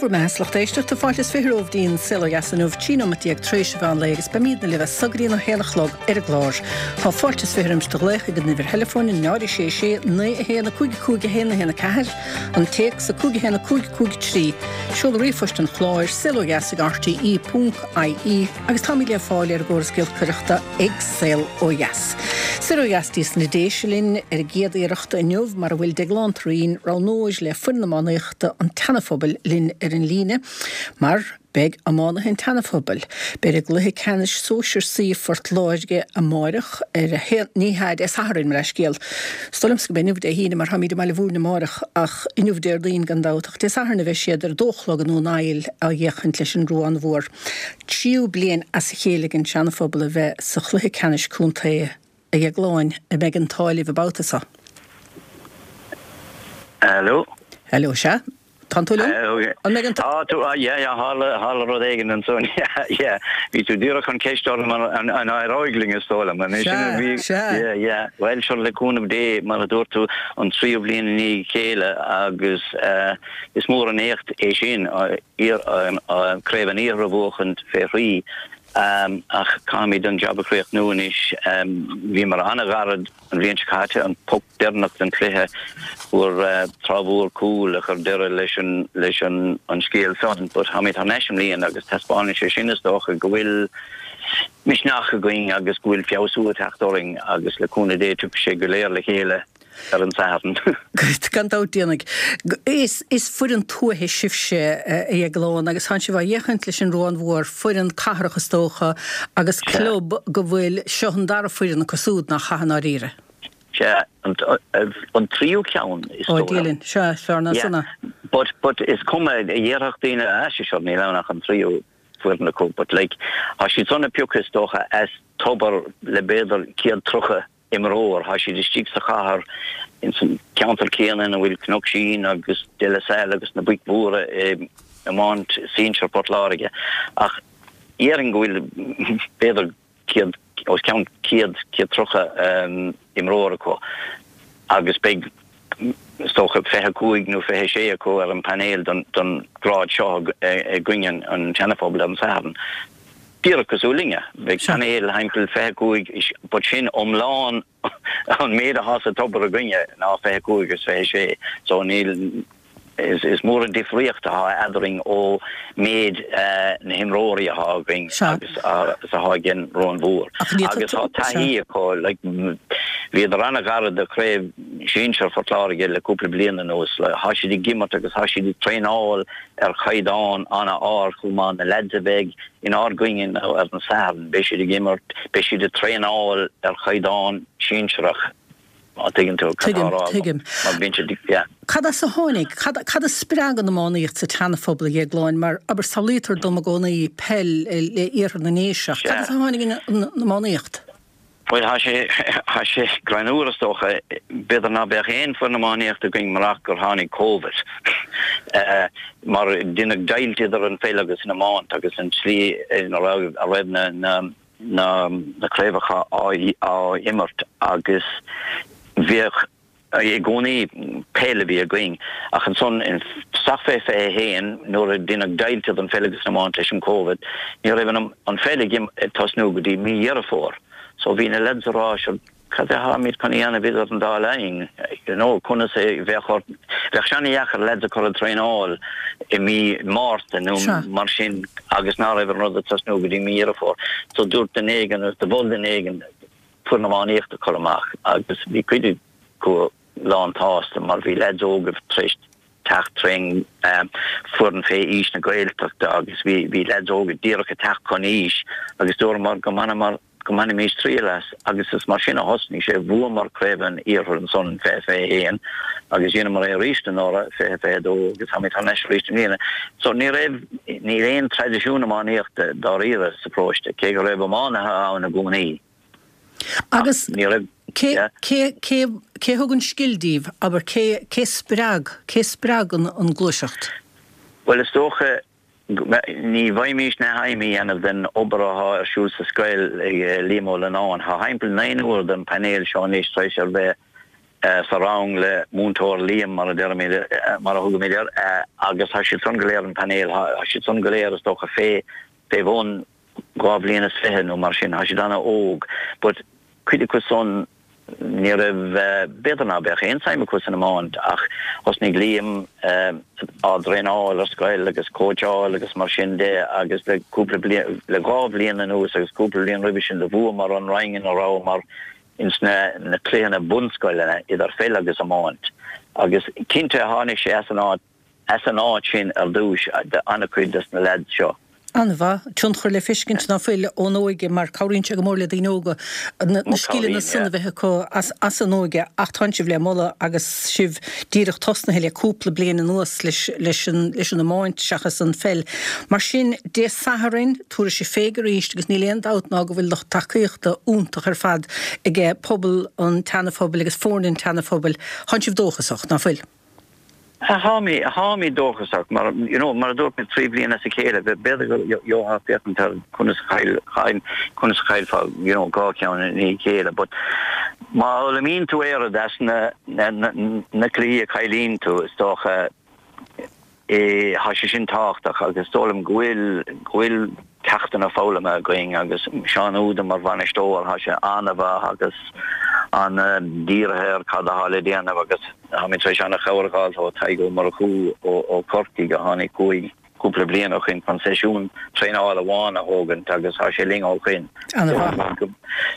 bhur mbeatha, a lucht éisteachta, fáilte is 20 romhaibh dtí'n Saol Ó Dheas inniu, 13 nóimeat tar éis an mheán lae agus beimídne libh as so go dtí an 1 a chlog ar an gclár. Tá fáilte is 20 roimis do ghlaoch ag an uimhir theileafóin 0 6 6 9 1 5 5 1 1 4, an téacs 5 1 5 5 3, seoladh ríomhphoist an chláir, saolodheas ag rte ponc ie agus táimid le fáil ar an gcóras giolcaireachta ag Saol Ó Dheas. Soir ó dheas dtí na Déise linn ar an gcéad iarracht inniu mar a bhfuil Deaglán Turraoin, roghnóir le foireann iománaíochta an tSeana-Phobail linn ar an líne mar beidh iománaithe an tSeana-Phobail, beidh i gcluiche ceannais Sóisear C Phort Láirge amáireach ar a haon, ní hea, Dé Sathairn, mo leithscéal. Is dóigh liomsa go mbeidh inniu Dé hAoine mar táimid i mBaile Mhúirne amáireach ach inniu Déardaoin gan dabht ach Dé Sathairn a bheidh siad ar a dó a chlog i nDún Aill á fhéachaint leis an Ruán Mhór. Tríú bliain as a chéile ag an Seana-Phobal a bheith sa chluiche ceannais contae a Dheagláin, an mbeidh an t-ádh libh an babhta seo? Hello. Hello, sea. Tánn tú liom? An mbeidh an t-. Tá tú, yeah, yeah, tharla, tharla rud éigin ansan, yeah, yeah. Bhí tú díreach chun ceist orm an, an éireoidh linn is dóigh liom. An é sin a bhí, Sea, sea. yeah, yeah. Bhuel, sure, le cúnamh Dé, mar a dúirt tú, an tríú bliain i ndiaidh a chéile agus eh, is mór an éacht é sin, iar, Craobh an Iarthair a bhuachaint fé thrí. Ach caithfimid an jab a chríochnú anois. Bhíomar an-ghairid an bhliain seo caite, an poc deireanach den chluiche, fuair Trá Mhór cúl a chuir deireadh leis an leis an an scéal san. But táimid thar n-ais i mbliana agus taispeánann sé sin is dócha go bhfuil misneach againn agus go bhfuil feabhsú ag teacht orainn agus le cúnamh Dé tiocfaidh sé go léir le chéile. ar an Satharn. Gan dabht déanfaidh. Is is foireann tuaithe sibhse, a Dheagláin, agus tánn sibh á fhéachaint leis an Ruán Mhór, foireann cathrach is dócha, agus club go bhfuil, seo an dara foireann acu súd nach ea i ndáiríre. Sea, an tríú ceann is dóigh liom. Ó, Dia linn, sea, is fearr ná san é. But, but is cuma, dhéarfadh daoine, ah, sea, sure, níl ann ach an tríú foireann acu, but like, tá siad san ag piocadh is dócha as tobar le b'fhéidir 130 imreoir. Tá siad istigh sa chathair, ins an ceantar céanna ina bhfuil Cnoc Sín agus De La Salle agus na boic mhóra i iomáint sinsir Phort Láirge. Ach dhéarfainn go bhfuil b'fhéidir 100, os cionn 100, 130 imreoir acu agus beidh is dócha 25 nó 26 acu ar an bpainéal don grád seo i gcoinne an tSeana-Phobail ar an Satharn. Díreach cosúil linne. Beidh painéal thimpeall 25, but sin iomlán an méid athá sa tobar againne ná 25 agus 26. So níl, is mór an difríocht athá eadrainn ó méid na himreoirí athá againn agus is athá ag an Ruán Mhór. Agus tá taithí acu, like, bhíodar an-ghairid do chraobh sinsir Phort Láirge le cúpla bliain anuas. Thá siad ag imirt agus thá siad ag traenáil ar chaighdeán an-ard chomh maith, na leaids a bheidh inár gcoinne ar an Satharn, beidh siad ag imirt, beidh siad ag traenáil ar chaighdeán sinsearach, má tuigeann tú cad tá á rá agam, mar bíonn siad, yeah. Cad as a tháinig, cad, cad a spreag an iománaíocht sa tSeana-Phobal, a Dhéagláin, mar, abair, samhlaítear dom i gcónaí peil le iarthar na nDéise, ach cad as a tháinig an iománaíocht? Bhuel, thá sé, thá sé greannmhar is dócha. B'fhéidir ná beadh aon foireann iománaíochta againn murach gur tháinig Covid. Mar deineadh deighilt idir an pheil agus an iomáint agus an tslí ina raibh, a raibh na, na, na, na craobhacha á, á imirt agus bhíodh, I gcónaí peil a bhí againn ach ansan isteach fé 21 nuair a deineadh deighilt idir an pheil agus an iomáint leis an Covid ní raibh an pheil ag tosnú go dtí mí Dheireadh Fómhair so bhí na lads a rá sure cad é tháimid chun a dhéanamh idir an dá linn you know conas a bheadh ort bheadh sé ana-dheacair lads a chur ag traenáil i mí Márta nó mar sin agus ná raibh an rud ag tosnú go dtí mí Dheireadh Fómhair so dúirt duine éigin nó mhol duine éigin foireann iománaíochta a chur amach agus bhí cuid acu lán tsásta mar bhí leaids óga tar éis teacht trén foireann fé aois na Gaeltachta agus bhí bhí leaids óga díreach ag teacht chun aois agus dúramar go mbainfeamar go mbainfimis triail as agus is mar sin a thosnaigh sé. Bhuamar Craobh an Iarthair ansan in 2021 agus dheineamar é arís anuraidh 2022 agus táimid thar n-ais arís i mbliana. So ní raibh níl aon traidisiún iománaíochta dáiríre sa pharóiste cé go raibh iománaithe ann i gcónaí. Agus cé, cé, cé, cé thug an scil díbh, abair, cé, cé spreag, cé spreag an, an gluaiseacht? Bhuel, is dócha, ní bhfaighimís neamhaidhm a dhéanamh den obair athá ar siúl sa scoil ag Liam Ó Leannáin. Thá thimpeall naonúr den painéal seo anois tar éis a bheith. sa rang le Múinteoir Liam mar a deirimid, mar a thugaimid air, agus tá siad san go léir an painéal, tá siad san go léir is dócha fé, fé bhun 2 bhliain is fiche nó mar sin, tá siad ana-óg but cuid acu san ní raibh, b'fhéidir ná beadh aon suim acu san iomáint ach thosnaigh Liam á dtraenáil ar scoil agus cóitseáil agus mar sin de agus le cúpla bliain, le 2 bhliain anuas agus cúpla bliain roimhe sin do bhuamar an roinn ina rabhamar ins na cluicheanna bunscoileanna idir pheil agus iomáint agus cinnte tháinig sé as an áit as an áit sin ar dtúis an-chuid des na leaids seo. An-mhaith. Tionchar le feiscint ná fuil ón óige mar cabhraíonn sé go mór le daoine óga na scileanna san a bheith acu as an óige ach tánn sibh le moladh agus sibh díreach tosnaithe le cúpla bliain anuas leis an leis an iomáint seachas an pheil. Mar sin Dé Sathairn tabharfaidh sibh fé arís agus níl aon dabht ná go bhfuil lucht tacaíochta iontach ar fad aige pobal an tSeana-Phobail agus foirne an tSeana-Phobail. Tánn sibh dóchasach, ná fuil? Tháimid, tháimid dóchasach mar, you know, mar a dúirt mé, 3 bhliain as a chéile, b'fhéidir go gheofá féachaint ar conas a chaill, conas a chaillfeá, you know, 2 cheann i ndiaidh a chéile, but má fhoghlaimíonn tú oiread as na, na, na cluichí a chailleann tú, is dócha, Tá sé sin tábhachtach agus is dóigh liom go bhfuil, go bhfuil ceachtanna foghlamtha againn agus Seán Úda mar bhainisteoir, tá sé an-mhaith agus an-dírithe ar cad atá le déanamh agus táimid tar éis an-chabhair a fháil ó Tadhg Ó Murchú ó Chorcaigh a tháinig chugainn cúpla bliain ó shoin chun seisiún traenála amháin a thógaint agus tá sé linn ó shoin. An-mhaith.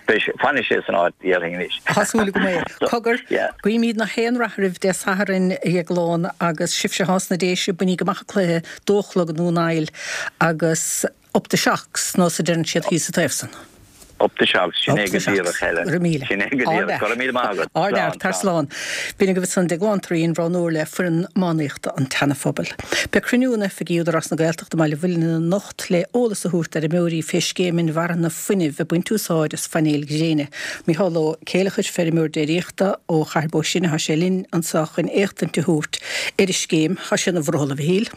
Beidh sé, fanfaidh sé san áit, déarfainn anois. Tá súil agam é. Cogar, guímid gach aon rath oraibh Dé Sathairn, a Dhéagláin, agus sibhse atá sna Déise, bainigí amach an cluiche, dó a chlog i nDún Aill, agus up the Shocks, nó a deireann siad thíos sa taobh san. Up the Shocks, sin é go díreach, Helen. Go raibh míle. Sin é go díreach. Go raibh míle maith agat. Ardfhear, tar slán. B'in agaibh ansan Déaglán Thureen, roghnóir le foireann iománaíochta an tSeana-Phobail. Beidh cruinniú in oifigí Údarás na Gaeltachta i mBaile Mhuilinn anocht le eolas a thabhairt d'fheirmeoirí fé scéim inmharthana fuinnimh ag baint úsáid as phainéil ghréine. Micheál Ó Céileachair, feirmeoir déiríochta ó Chathair Bó Sine, tá sé linn anseo chun éachtaint a thabhairt ar an scéim. Tá sé ina bhrothall, a Mhichíl.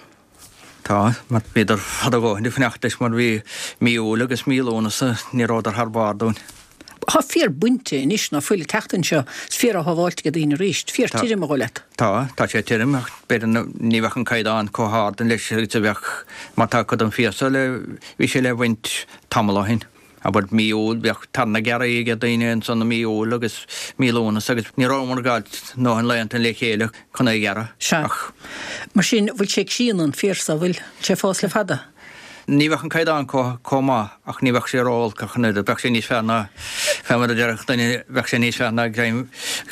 Tá, mar bhíodar fada a dhóthain ag fanacht leis mar bhí mí Iúil agus mí Lúnasa, ní rabhadar thar barr dúinn. Tá féar bainte anois ná fuil an tseachtain seo, is féar á shábháilt ag daoine arís. Féar tirim a dhul leat. Tá, tá sé tirim ach b'fhéidir ní bheadh an caighdeán chomh hard leis agus a bheadh mar tá cuid den féar so le, bhí sé le bhaint tamall ó shin. Abair mí Iúil, bheadh tairne gearrtha ag daoine ansan i mí Iúil agus mí Lúnasa agus ní rabhamar ag fáilt ndóthain laethanta le chéile chun é a ghearradh. Sea. Ach. Mar sin, bhfuil sé ag síneadh an féar so, bhfuil sé ag fás le fada? Ní bheadh an caighdeán chomh maith ach ní bheadh sé ró-olc ach an oiread. Bheadh sé níos fearr ná, fé mar a déarfadh duine, bheadh sé níos fearr ná greim,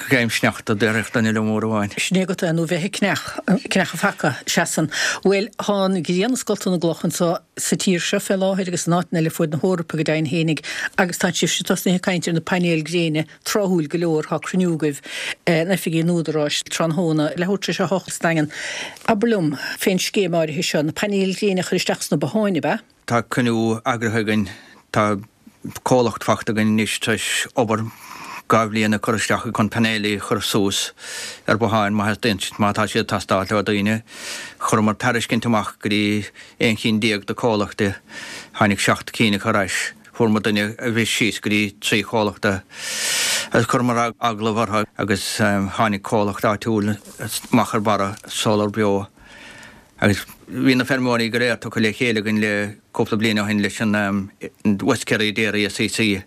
greim sneachta, déarfadh duine liom uair amháin. Sin é agat é, nó bheith ag cneach, cneach an phaca, seasann. Bhuel, tá an ghrian ag scoltadh na gcloch anso sa tír seo fé láthair agus in áiteanna eile fuaid na hEorpa go deimhin fhéinig agus tá sibhse tosnaithe ag caint ar na painéil gréine tráthúil go leor, tá cruinniú agaibh in oifigí an Údaráis tráthnóna, leathuair tar éis a hocht sa Daingean. Abair liom fén scéim áirithe seo, na painéil ghréine a chur isteach sna botháin, ab ea? Tá cruinniú eagraithe againn, tá comhlacht fachta againn anois tar éis obair 2 bhliain a chur isteach chun painéilí a chur suas ar bhotháin má theastaíonn, má tá siad ag teastáil ó daoine. Chuireamar tairiscint amach go dtí 11 chinn de comhlachtaí, tháinig 7 cinn acu ar ais. Fuair muid duine a bhris síos go dtí 3 chomhlacht agus chuireamar agallamh orthu agus tháinig comhlacht áitiúil amach ar barra, Solar Beo, agus bhí na feirmeoirí go léir tugtha le chéile againn le cúpla bliain ó shin leis an West Kerry Dairy SCC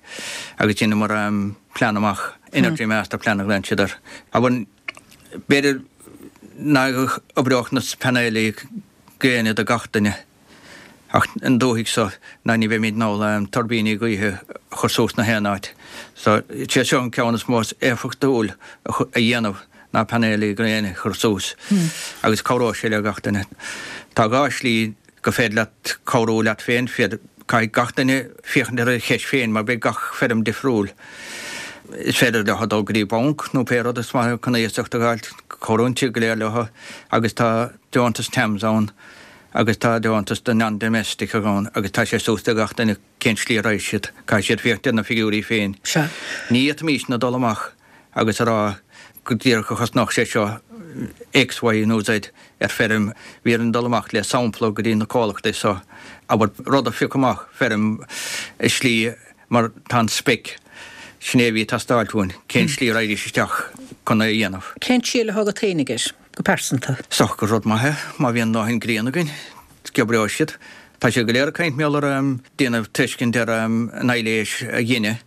agus dheineamar plean amach, Energy Master Plan a ghlaonn siad air. B'fhéidir nach oibreodh na painéilí gréine do gach duine. Ach an dúthaigh so ná ní bheimid in ann tuirbíní gaoithe a chur suas na haon áit. So, sé seo an ceann is mó is éifeachtúil a dhéanamh ná painéilí gréine a chur suas agus cabhróidh sé le gach duine. Tá 2 shlí go féidir leat cabhrú leat féin, caithfidh gach duine féachaint ar a cheist féin mar beidh gach feirm difriúil. Is féidir leo dul go dtí banc nó pé rud is maith chun iasacht a fháil, cabhraíonn siad go léir leo agus tá deontas TAMS ann. agus tá deontas do non-domestic ann agus tá sé suas do gach duine cén slí a raghaidh siad. Caithfidh siad féachaint ar na figiúirí féin. Sea. Ní fhéadfaimísne dul amach agus a rá go díreach a chosnódh sé seo X, Y nó Z ar feirm. Bhí orainn dul amach le sampla go dtí na comhlachtaí so, abair, rud a phiocadh amach, feirm i slí mar tá an spec. Sin é a bhí ag teastáilt uainn, cén slí a raghaidís isteach chun é a dhéanamh. Cén triail atá agat fhéinig air, go pearsanta? Is dócha gur rud maith é, má bhíonn dóthain grian againn, go oibreoidh siad. Tá siad go léir ag caint mar gheall ar déanamh tuiscint ar an aibhléis a ghineadh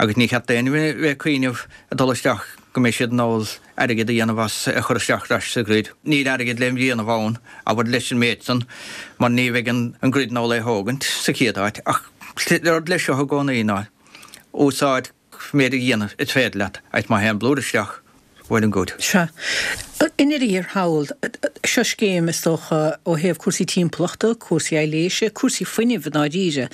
agus ní cheart d'aon bheith ag cuimhneamh ag dul isteach go mbeidh siad in ann airgead a dhéanamh as a chur isteach ar ais sa ghrid. Níl airgead le déanamh ann, abair, leis an méid san, mar ní bheidh an grid in ann é a thógaint sa chéad áit. Ach rud leis seo i gcónaí ná úsáid méid a dhéanamh is féidir leat agus má théann blúire isteach, well and good. Sea. I ndeireadh thiar thall, seo scéim, is dócha, ó thaobh cúrsaí timpeallachta, cúrsaí aibhléise, cúrsaí fuinnimh i ndáiríre,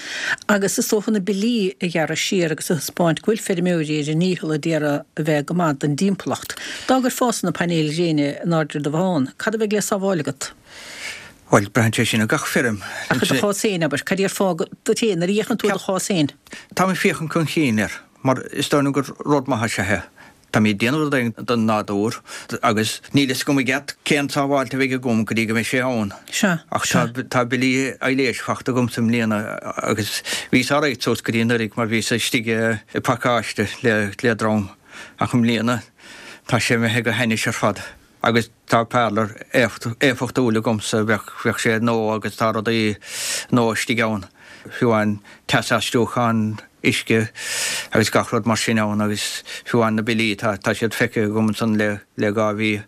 agus is dócha na billí a ghearradh siar agus a thaispeáint go bhfuil feirmeoirí ar a ndícheall a d'iarraidh a bheith go maith don dtimpeallacht. Dá gcuirfeása na painéil ghréine in airde ar do bhothán, cad a bheidh le sábháil agat? Bhuel, braitheann sé sin ar gach feirm. Ach i do chás féin, abair, cad déarfá duit féin nuair a fhéachann tú ar do chás féin? Táim ag féachaint chun cinn air, mar is dóigh liom gur rud maith is ea é. Táimid ag déanamh rud éigin don nádúr agus níl fhios agam i gceart cén tsábháilt a bheidh agam go dtí go mbeidh sé ann. Sea, Ach sea. tá billí aibhléise fachta agamsa i mbliana agus bhíos alright suas go dtí anuraidh mar bhíos istigh i bpacáiste le dream ach i mbliana tá sé imithe go hainnis ar fad. Agus tá parlour éifeachtúil agamsa, bheadh sé nua agus tá rudaí nua istigh ann, fiú amháin teas-aistriúchán uisce agus gach rud mar sin ann agus fiú amháin na billí, tá siad feicthe agam ansan le 2 mhí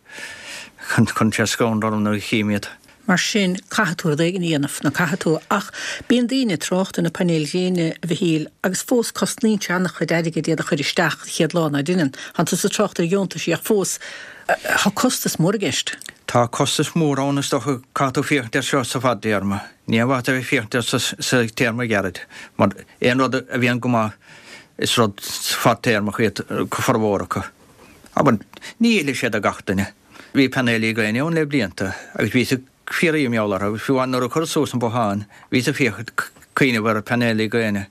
chun sé scanradh orm nuair a chím iad. Mar sin, caithfidh tú rud éigin a dhéanamh, nó caithfidh tú. Ach bíonn daoine ag trácht ar na painéil ghréine, a Mhichíl, agus fós cosnaíonn sé an-chuid airgid iad a chur isteach an chéad lá, ná deineann? Tánn tusa ag trácht ar dheontaisí ach fós, tá costas mór i gceist. Tá costas mór ann, is dócha. Caithfidh tú féachaint air seo sa bhfadtéarma. Ní aon mhaith a bheith ag féachaint air sa téarma gheairid, mar aon rud a bhíonn go maith, is rud fadtéarmach iad formhór acu. Abair, ní fheilfidh sé do gach duine. Bhí painéilí gréine ann le blianta agus bhíos ag fiafraí mar gheall orthu. Fiú amháin nuair a cuireadh suas an bothán, bhíos ag féachaint, cuimhneamh ar phainéilí gréine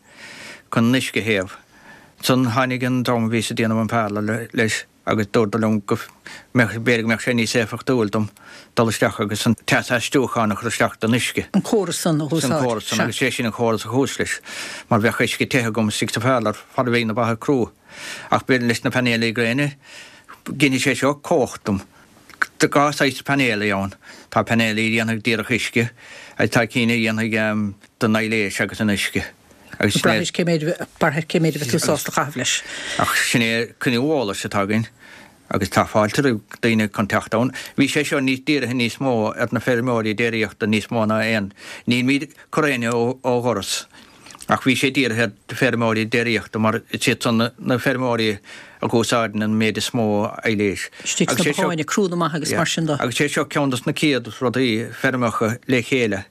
chun an uisce a théamh. Ansan tháinig an dream a bhíos ag déanamh an parlour leis agus dúradar liom go mbeadh, b'fhéidir go mbeadh sé níos éifeachtúil dom dul isteach agus an teas-aistriúchán a chur isteach don uisce. An córas san a úsáid. An córas san agus sé sin an córas a chuas leis mar bheadh uisce te agam istigh sa pharlour fad a bheidh na ba crua. Ach b'fhéidir leis na painéilí gréine, ginfidh sé seo cumhacht dom. Tá 2 saghas painéilí ann. Tá painéilí a dhéanfaidh díreach uisce agus tá cinn a dhéanfaidh don aibhléis agus an uisce. Agus sin é. Braithfidh cé méid, braithfidh cé méid a bheidh tú sásta caitheamh leis. Ach sin é cruinniú eolais atá againn agus tá fáilte roimh daoine chun teacht ann. Bhí sé seo níos dírithe níos mó ar na feirmeoirí déiríochta níos mó ná aon. Nílimid ag cur éinne ó dhoras. Ach bhí sé dírithe ar feirmeoirí déiríochta mar is iad san na feirmeoirí a úsáideann an méid is mó aibhléis. Istigh sna botháin, crúnna maithe agus mar sin de. Agus sé seo ceann dos na céad rudaí feirmeacha le chéile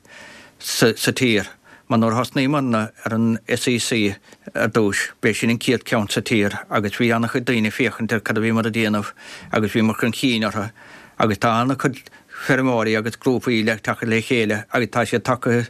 sa tír mar nuair a thosnaíomarna ar an SEC ar dtúis b'é sin an chéad ceann sa tír agus bhí ana-chuid daoine ag féachaint ar cad a bhíomar ag déanamh agus bhíomar chun chinn orthu agus tá ana-chuid feirmeoirí agus grúpaí le teacht le chéile agus tá siad tagtha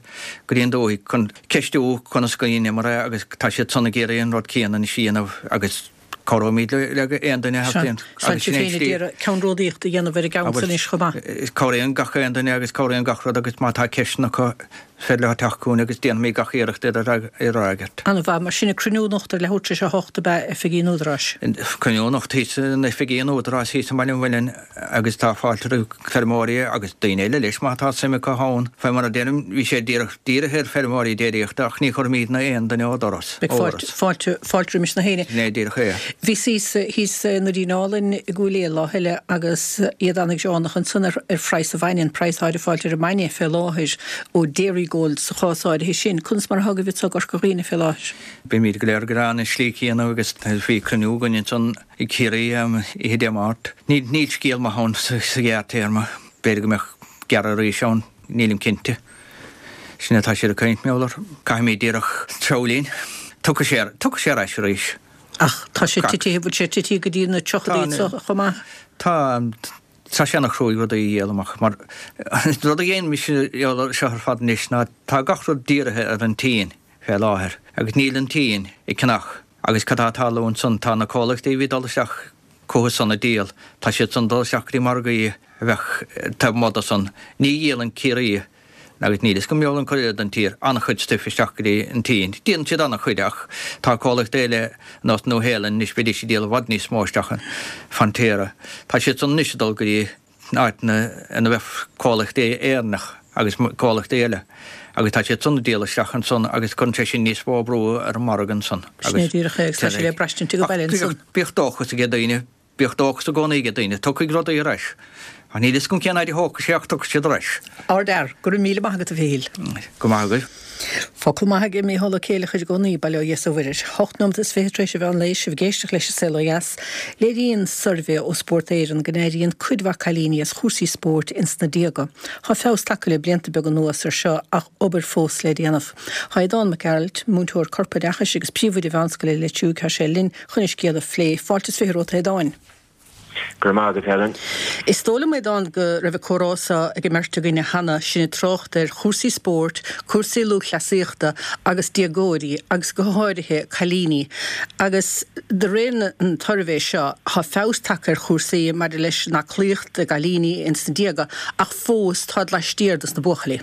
go dtí an dúthaigh chun ceistiú conas go ndeineamar é agus tá siad san ag iarraidh an rud céanna anois a dhéanamh agus cabhróimid le aon duine a theastaíonn. Agus sin é an slí. Ceannródaíocht a dhéanamh ar an gceann san anois chomh maith. Cabhraíonn gach aon duine agus cabhraíonn gach rud agus má tá ceisteanna acu is féidir leo teacht chugainn agus déanfaimid gach iarracht iad a fhreagairt. An-mhaith. Mar sin, cruinniú anocht ar leathuair tar éis a hocht ab ea oifigí an Údaráis? Cruinniú anocht thíos in oifigí an Údaráis thíos i mBaile an Mhuilinn agus tá fáilte roimh feirmeoirí agus daoine eile leis má tá suim acu ann. Fé mar a deirim, bhí sé díreach dírithe ar feirmeoirí déiríochta ach ní chuirfimídne aon duine ó doras. Beidh fáilte, fáilte, fáilte roimis na héinne. Sin é díreach é. Bhíos thíos, thíos i nDoirín Álainn i gCúil Aodha lá eile agus iad an-ghreánach ansan ar, ar phraghas an bhainne, an praghas atáthar ag fáilt ar an mbainne fé láthair ó Dairygold sa chás áirithe sin. Conas mar atá agaibh anso i gCorca Dhuibhne fé láthair? Bímid go léir greánach an slí céanna agus bhí cruinniú againn ansan i gCiarraí oíche Dé Máirt. Níl scéal maith ann sa ghearrtéarma. B'fhéidir go mbeadh gearradh arís ann, nílim cinnte. Sin atá siad ag caint, mar gheall air. Caithfimid díreach treabhadh linn. Tiocfaidh sé, tiocfaidh sé ar ais arís. Ach tá sé titithe, bhfuil sé titithe go dtí na tríochaidí anso chomh maith? Tá, tá sé ana-chruaidh rudaí a dhíol amach mar rud a dhein mise seo ar fad anois ná tá gach rud dírithe ar an tSín fé láthair agus níl an tSín ag ceannach Agus cad tá ag tarlú ansan? Tá na comhlachtaí a bhí ag dul isteach chucu san ag díol. Tá siad san ag dul isteach go dtí margaí a bheadh taobh amuigh de san. Ní dhíolann Ciarraí. Agus níl fhios agam mar gheall an chuid eile den tír, an-chuid stuif isteach go dtí an tSín. Déanann siad an-chuid ach tá comhlachtaí eile ar nós Nua Shéalainn anois bheidís ag díol i bhfad níos mó isteach in Fonterra. Tá siad san anois ag dul go dtí áiteanna ina bheadh comhlachtaí Éireannach agus comhlachtaí eile agus tá siad san ag díol isteach ansan agus cuireann sé sin níos mó brú ar an margadh ansan. Sin é díreach é agus tá sé le braistint ag an baile ansan. Bíodh dóchas ag daoine. Bíodh dóchas i gcónaí ag daoine. Tiocfaidh rudaí ar ais. Ach níl fhios agam cén fhaid a thógfaidh sé ach tiocfaidh siad ar ais. Ardfhear. Go raibh míle maith agat a Mhichíl. Go maith agaibh. Focal maith aige Mícheál Ó Céileachair i gcónaí, bail ó Dhia is ó Mhuire air. Hocht nóimeat is fiche tar éis an mheán lae, sibh ag éisteacht leis An Saol Ó Dheas. Léiríonn suirbhé ó Spórt Éireann go n-éiríonn cuid mhaith cailíní as chúrsaí spóirt ins na déaga. Tá feabhas tagtha le blianta beaga anuas ar seo ach obair fós le déanamh. Tá Aodán Mac Gearailt, múinteoir corpoideachais agus príomhoide mheánscoile Leitir Fraic, tá sé linn chun an scéal a phlé. Fáilte is 20 romhat, a Aodáin. Go raibh maith agat, Helen. Is dóigh liom, Aodán, go raibh an comhrá seo ag an mbeirt againne cheana, sinn ag trácht ar chúrsaí spóirt, cúrsaí lúthchleasaíochta agus déagóirí agus go háirithe cailíní. Agus de réir an tsuirbhé seo, tá feabhas tagtha ar chúrsaí maidir leis an aclaíocht i gcailíní ins na déaga ach fós táid laistiar dos na buachaillí.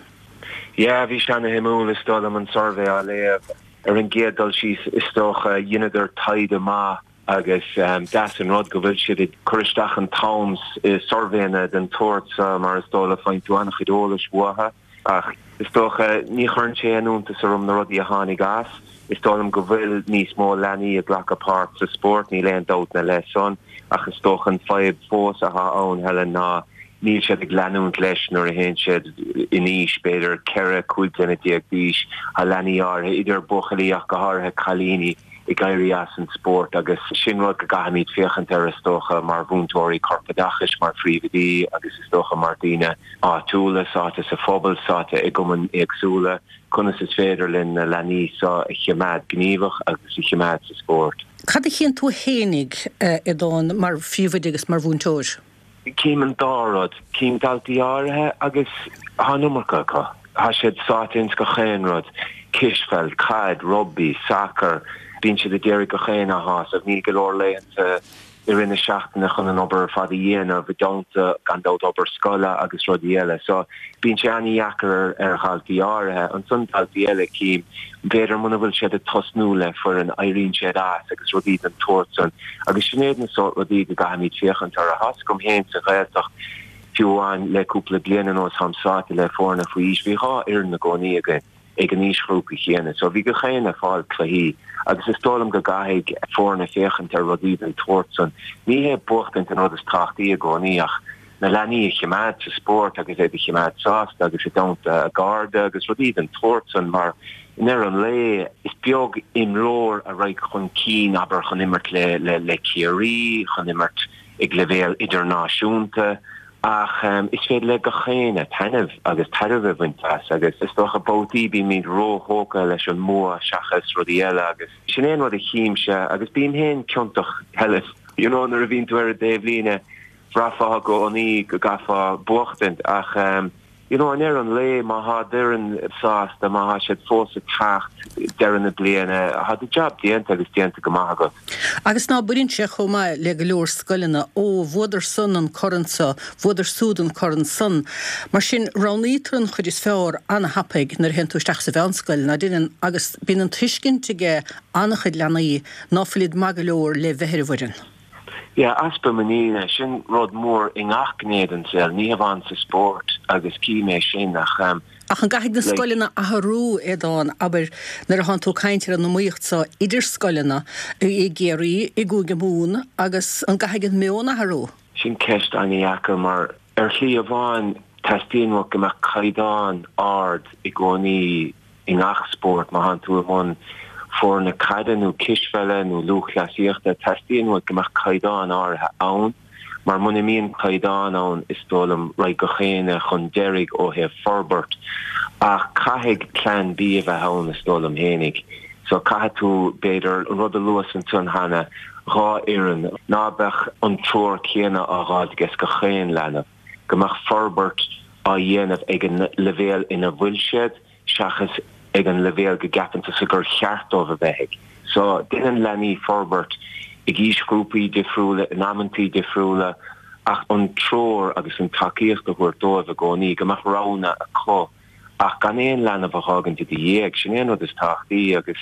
Yeah, bhí sé ana-shuimiúil, is dóigh liom, an suirbhé á léamh. Ar an gcéad dul síos, is dócha, dheineadar taighde maith agus deas an rud go bhfuil siad ag cur isteach an t-am i suirbhéanna den tsórt seo mar is dóigh le faigheann tú an-chuid eolais uathu. Ach is dócha, ní chuireann sé aon iontas orm na rudaí a tháinig as. Is dóigh liom go bhfuil níos mó leanaí ag glacadh páirt sa spórt, níl aon dabht ina leith san, ach is dócha an fadhb fós atá ann, Helen, ná níl siad ag leanúint leis nuair a théann siad in aois, b'fhéidir 14, 15 bliana d'aois. Tá leanaí áirithe, idir buachaillí ach go háirithe cailíní, ag éirí as an spórt agus sin rud go gcaithfimid féachaint air is dócha mar mhúinteoirí corpoideachais, mar phríomhoidí agus is dócha mar daoine áitiúla, sáite sa phobal, sáite i gcumainn éagsúla, conas is féidir linn na leanaí seo a choimeád gníomhach agus a choimeád sa spórt. Cad a chíonn tú fhéinig, a Aodáin, mar phríomhoide agus mar mhúinteoir? Cím an dá rud. Cím daltaí áirithe agus tá an iomarca acu. Tá siad sáite ins gach aon rud, cispheil, caid, rugbaí, sacar. Bíonn siad ag iarraidh gach éinne a shásamh. Níl go leor laethanta i rith na seachtaine chun an obair ar fad a dhéanamh, i dteannta, gan dabht, obair scoile agus rudaí eile. So, bíonn sé an-dheacair ar dhaltaí áirithe. Ansan daltaí eile, cím, b'fhéidir muna bhfuil siad ag tosnú le foireann, éiríonn siad as agus rudaí den tsórt san. Agus sin iad na sórt rudaí go gcaithfimid féachaint orthu. Tá's agam féin sa Ghaeltacht, fiú amháin le cúpla bliain anuas, táim sáite le foirne faoi aois, bhí 2 fhoireann i gcónaí againn ag an aoisghrúpa chéanna. So bhí gach éinne ag fáil cluichí agus is dóigh liom go gcaithfidh foirne féachaint ar rudaí den tsórt san. Ní hé buachtaint an rud is tábhachtaí i gcónaí ach na leanaí a chimeád sa spórt agus iad a chimeád sásta agus i dteannta a gcairde agus rudaí den tsórt san mar i ndeireadh an lae is beag imreoir a raghaidh chun cinn, abair, chun imirt le le Ciarraí, chun imirt ag leibhéal idirnáisiúnta ach is féidir le gach éinne taitneamh agus tairbhe a bhaint as agus is dócha babhtaí bímid róthógtha leis an mbua seachas rudaí eile agus sin é an rud a chímse agus bím féin ciontach Helen, you know nuair a bhíonn tú ar an dtaobhlíne Bhraithfeá i gcónaí go gcaithfeá buachtaint ach you know i ndeireadh an lae má thá d'fhoireann sásta, má thá siad fós ag teacht deireadh na bliana, thá do jab déanta agus déanta go maith agat. Agus ná baineann sé chomh maith le go leor scoileanna, ó bhuadar san an corn so, bhuadar súd an corn san. Mar sin roghnaítear an chuid is fearr ana-thapaidh nuair a théann tú isteach sa mheánscoil, ná deineann, agus bíonn an tuiscint aige an-chuid leanaí ná fuilid maith go leor le bheith ar an bhfoireann. Yeah, easpa muiníne, sin rud mór i ngach gné den saol, ní hamháin sa spórt agus cím é sin ach um Ach an gcaithfidh na like. scoileanna athrú, Aodán, abair, nuair atánn tú ag caint ar an iomaíocht so idir scoileanna, i gCiarraí, i gCúige Mumhan, agus an gcaithfidh an meon athrú? Sin ceist an-dheacair mar ar shlí amháin teastaíonn uait go mbeadh caighdeán ard i gcónaí i ngach spórt, má thánn tú i mbun foirne caide nó cispheile nó lúthchleasaíochta, teastaíonn uait go mbeadh caighdeán áirithe ann, mar muna mbíonn caighdeán ann, is dóigh liom, raghaidh gach éinne chun deiridh ó thaobh forbairt. Ach caithfidh plean B a bheith ann, is dóigh liom fhéinig. So caithfidh tú, b'fhéidir, an rud a luas ansan cheana, 2 fhoireann, ná beadh an treoir céanna á dh'fháilt ages gach aon leanbh, go mbeadh forbairt á dhéanamh ag an leibhéal ina bhfuil siad, seachas ag an leibhéal go gceapann tusa gur cheart dóibh a bheith ag. So, déanann leanaí forbairt ag aoisghrúpaí difriúla, in amantaí difriúla, ach an treoir agus an tacaíocht a thabhairt dóibh i gcónaí, go mbeadh roghanna acu. Ach gan aon leanbh a dh'fhágaint i do dhiaidh, sin é an rud is tábhachtaí agus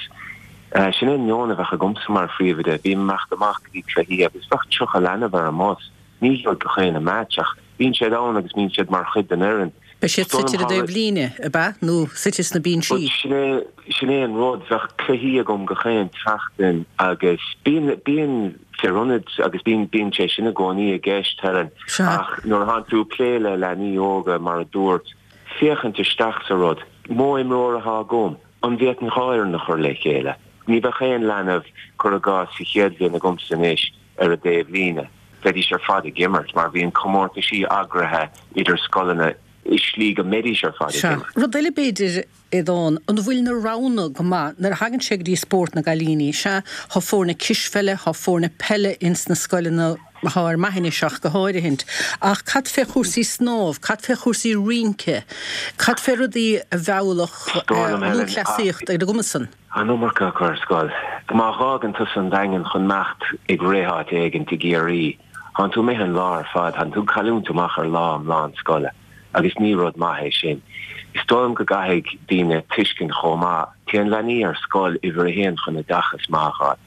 sin é an meon a bheadh agamsa mar phríomhoide. Bím ag imeacht amach go dtí cluichí agus bheadh 30 leanbh ar an mbus. Ní gheobhaidh gach éinne match ach bíonn siad ann agus bíonn siad mar chuid den fhoireann. Beidh siad suite ar an dtaobhlíne, ab ea? Nó suite sna binsí? Sin é, sin é an rud. Bheadh cluichí agam gach aon tseachtain agus bíonn, bíonn fir ionaid agus bíonn, bíonn sé sin i gcónaí i gceist, Helen. Ach nuair atánn tú ag plé le leanaí óga, mar a dúirt, féachaint isteach sa rud. Modh imreora atá agam. An bhféadfainn 2 fhoireann a chur le chéile? Ní bheadh aon leanbh, cuir i gcás, sa chéad bhliain agamsa anois ar an dtaobhlíne. Bheidís ar fad ag imirt mar bhíonn comórtaisí eagraithe idir scoileanna i slí go mbeidís ar fad ag Sea. imirt. Rud eile b'fhéidir, Aodán, an bhfuil na roghanna go maith nuair a thagann sé go dtí spórt na gcailíní? Sea, thá foirne cispheile, thá foirne peile ins na scoileanna, thá ar m'aithne-se ach go háirithint, ach cad fé chúrsaí snámh, cad fé chúrsaí rince, cad fé rudaí a mheallfadh Is dóigh liom, Helen, lúthchleasaíocht ar a gcumas san? An iomarca acu ar scoil. Má dh'fhágann tusa an Daingean chun imeacht ag rith áit éigint i gCiarraí, thánn tú imithe an lá ar fad, thánn tú ag cailliúint amach ar lá iomlán scoile agus ní rud maith é sin. Is dóigh liom go gcaithfidh daoine tuiscint chomh maith, téann leanaí ar scoil uimhir a haon chun oideachas maith a fháil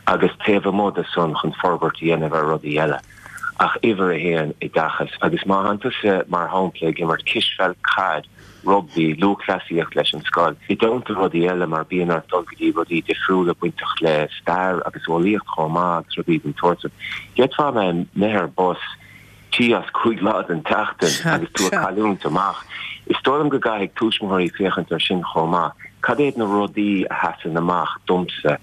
agus taobh amuigh de san chun forbairt a dhéanamh ar rudaí eile ach uimhir a haon oideachas agus má thánn tusa mar shampla ag imirt cispheil, caid, rugbaí, lúthchleasaíocht leis an scoil, i dteannta rudaí eile mar bíonn ort dul go dtí rudaí difriúla bainteach le stair agus eolaíocht chomh maith agus rudaí den tsórt san. D'fhéadfá a bheith imithe ar bus trí as chúig lá den tseachtain agus tú ag cailliúint amach. Is dóigh liom go gcaithfidh tuismitheoirí féachaint ar sin chomh maith. Cad iad na rudaí a sheasann amach domsa?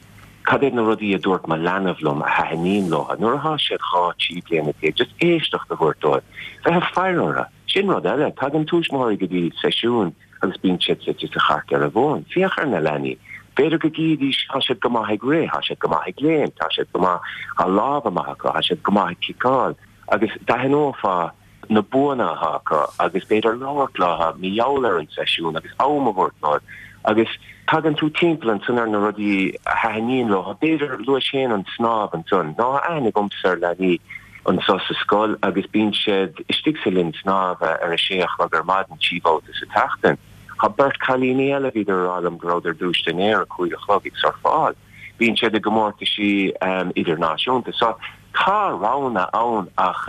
Cad iad na rudaí a dúirt mo leanbh liom a thaitníonn leo nuair atá siad 12, 13 bliana, just éisteacht a thabhairt dóibh, bheith ag faire orthu. Sin rud eile. Tagann tuismitheoirí go dtí seisiúin agus bíonn siad suite sa chairt ar an bhfón. Féach ar na leanaí. B'fhéidir go gcífidís, tá siad go maith ag rith, tá siad go maith ag léimt, tá siad go maith, tá lámha maith acu, tá siad go maith ag ciceáil. Agus d'aithneofá na buanna atá acu agus b'fhéidir labhairt leo mar gheall ar an seisiún agus am a thabhairt dóibh. Agus tagann tú timpeall ansan ar na rudaí a thaitníonn leo. B'fhéidir, luais féin an snámh ansan. Tá aithne agamsa ar leanaí. anseo sa scoil agus bíonn siad istigh sa linn snámha ar a sé a chlog ar maidin trí bhabhta sa tseachtain. Tá beirt cailíní eile, bhíodar a rá liom go rabhadar dúiste inné ar a cúig a chlog ag surfáil. Bíonn siad i gcomórtaisí idirnáisiúnta. So tá roghanna ann ach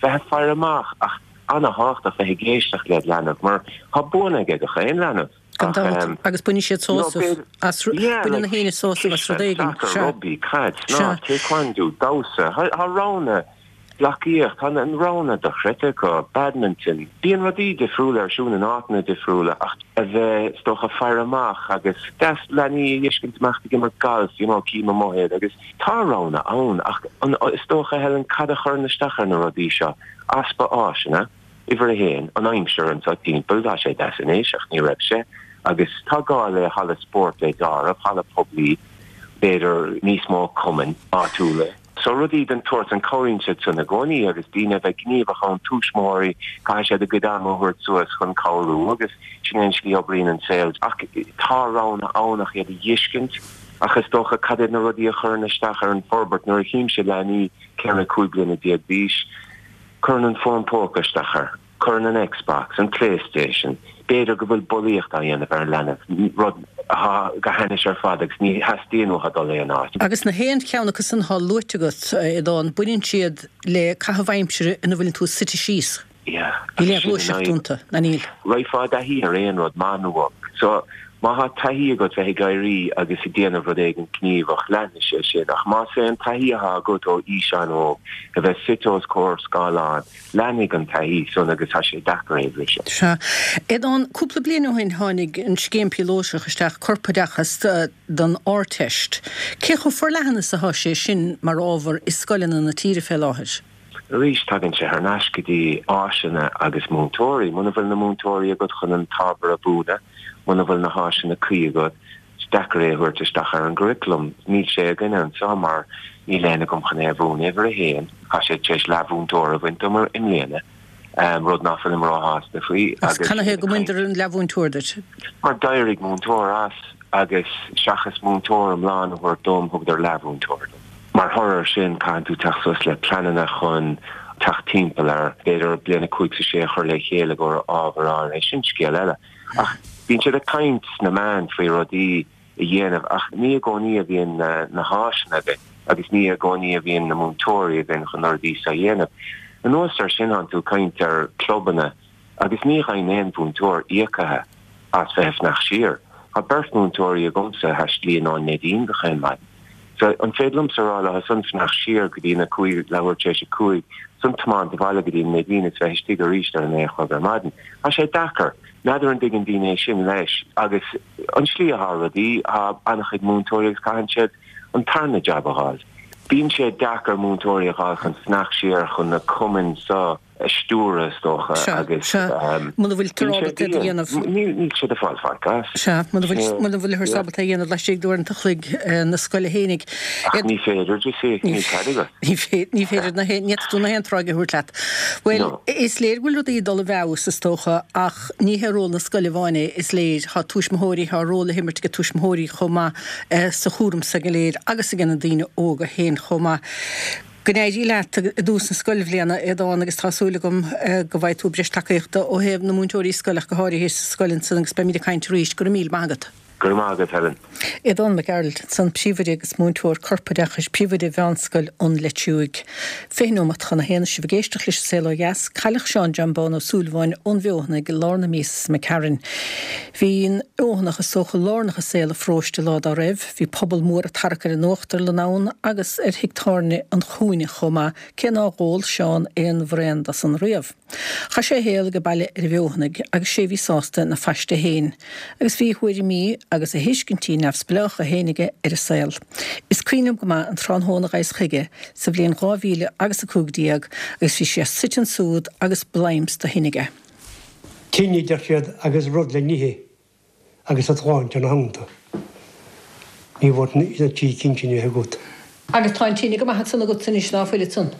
bheith ag faire amach ach ana-thábhachtach bheith ag éisteacht led leanbh mar tá buanna aige gach aon leanbh. Gan dabht, agus bainfidh siad sásamh as, baineann na héinne sásamh as rud éigin. Sacar, rugbaí, caid, snámh, taekwondo, damhsa, tá roghanna, gleacaíocht, tá an roghanna dochreidte acu, badminton, bíonn rudaí difriúla ar siúl in áiteanna difriúla ach a bheith, is dócha, faire amach agus deas leanaí a fheiscint amach ag imirt galf, you know, cím amuigh iad agus tá roghanna ann ach an, is dócha, Helen, cad a chuireann isteach ar na rudaí seo? Easpa áiseanna. Uimhir a haon, an aimsir anseo timpeall, tá sé deas anois ach ní raibh sé, agus tá gá le halla spóirt le deáramh, halla poiblí, b'fhéidir níos mó cumainn áitiúla. So rudaí den tsórt san, cabhraíonn siad san i gcónaí agus daoine a bheith gníomhach ann, tuismitheoirí, caithfidh siad a gcuid ama a thabhairt suas chun cabhrú agus sin é an slí a oibríonn an saol. Ach tá roghanna ann ach iad a fheiscint ach is dócha cad iad na rudaí a chuireann isteach ar an forbairt nuair a chímse leanaí 14, 15 bliana d'aois, Cuireann an fón póca isteach air, cuireann an Xbox, an Playstation, b'fhéidir go bhfuil bulaíocht á dhéanamh ar an leanbh, rud atá go hainnis ar fad agus ní theastaíonn uathu dul aon áit. Agus na haon cheann acu san atá luaite agat, a Aodáin, baineann siad le caitheamh aimsire ina bhfuileann tú suite síos. Yeah, Níl aon ghluaiseacht iontu, ná níl? Raghfá i dtaithí ar aon rud, maith nó olc. So, má thá taithí agat bheith ag éirí agus ag déanamh rud éigin gníomhach, leanfaidh sé sin. Ach más é an taithí athá agat ó aois an-óg, a bheith suite os comhair scáileáin, leanfaidh an taithí san agus tá sé deacair é a bhriseadh. Sea. Aodán, cúpla bliain ó shin tháinig an scéim píolótach isteach, Corpoideachas don Ardteist. Cé chomh forleathan is athá sé sin mar ábhar i scoileanna na tíre fé láthair? Arís, tagann sé thar n-ais go dtí áiseanna agus múinteoirí. Muna bhfuil na múinteoirí agat chun an t-ábhar a mhúineadh, muna bhfuil na háiseanna cuí agat, is deacair é a thabhairt isteach ar an gcurriculum. Níl sé againne anseo mar níl éinne agam chun é a mhúineadh. Uimhir a haon, tá sé tar éis leathmhúinteoir a bhaint dom i mbliana, rud ná fuilim róshásta faoi. Agus canathaobh go mbaineadar an leathmhúinteoir duit? Mar d'éirigh múinteoir as. agus seachas múinteoir iomlán a thabhairt dom, thugadar leathmhúinteoir dom. Mar thoradh air sin, caitheann tú teacht suas le pleananna chun teacht timpeall air, b'fhéidir bliain a 5 's a 6 a chur le chéile i gcomhair ábhar áirithe, sin scéal eile. Ach bíonn siad ag caint sna meáin faoi rudaí a dhéanamh ach ní i gcónaí a bhíonn na háiseanna againn agus ní i gcónaí a bhíonn na múinteoirí againn chun na rudaí seo a dhéanamh. Anuas ar sin tánn tú ag caint ar clubanna agus ní gheibheann aon mhúinteoir íocaithe as bheith ag fanacht siar. Tá beirt mhúinteoirí agamsa a thaistlíonn ón Neidín gach aon maidin. So an féidir liomsa a rá leo san fanacht siar go dtí na cúig, leathuair tar éis a cúig, 's ansan tiomáint abhaile go dtí an Neidín is bheith istigh arís ar a naoi a chlog ar maidin. Tá sé deacair. N'fheadar an dtuigeann daoine é sin leis agus an slí atá rudaí, tá an-chuid múinteoirí agus caitheann siad an tarna jab a dh'fháil. Bíonn sé deacair múinteoirí a dh'fháil chun fanacht siar chun na cumainn so a stiúradh is dócha Sea, agus sea. Muna bhfuiltear bíonn sé ábalta iad a dian. dhéanamh. Níl, níl siad ag fáil faic as. Sea, muna bhfuil, Sea, muna bhfuilthear yeah. ábalta é a dhéanamh laistigh d'uaireanta a chloig na scoile fhéinig. Ach ní féidir, you see, Ní níl cead agat. ní fé, ní féidir na haon, ní fhéadfaidh tú na haon tráigh a thabhairt leat. Bhuel, No. is léir go bhfuil rudaí ag dul i bhfeabhas, is dócha, ach ní hé ról na scoile amháin é, is léir. Tá tuismitheoirí, tá ról le himirt ag tuismitheoirí chomh maith sa chúram seo go léir agus ag na daoine óga féin chomh maith. Go n-éirí leat i dtús na scoilbhliana, Aodán, agus tá súil agam go bhfaighidh tú breis tacaíochta ó thaobh na múinteoirí scoile ach go háirithe sa scoil ansan agus beimid ag caint arís. Go raibh míle maith agat. Go raibh maith agat, Helen. Aodán Mac Gearailt ansan, Príomhoide agus múinteoir corpoideachais, Príomhoide Mheánscoil an Leitriúigh. 20 nóimeat chun a haon is sibh ag éisteacht leis An Saol Ó Dheas, cailleadh Seán John Bán Ó Súilleabháin ón bhFeothanaigh i lár na míosa seo imigh tharainn. Bhí an Fheothanach is dócha lárnach i saol an pharóiste lá dá raibh. Bhí pobal mór ag tarrac ar an Uachtarlann ann agus ar thigh tábhairne an Chúinne chomh maith, cé nár dh'ól Seán aon bhraon de san riamh. Chaith sé a shaol age baile ar an bhFeothanaigh agus sé a bhí sásta ina phaiste fhéin, agus bhí a thuairimí agus a thuiscintí neamhspleácha fhéin aige ar an saol. Is cuimhin liom go maith an tráthnóna a ghabhas chuige sa bhliain 2015 agus bhí sé suite ansúd agus bleamps de thine aige. Tine, a deir siad, agus rud le n-ithe. agus a shláinte ina theannta. Ní bhfuair na trí cinn sin a bheith agat. Agus tá an tine go maith ansan agatsa anois, ná fuil ansan?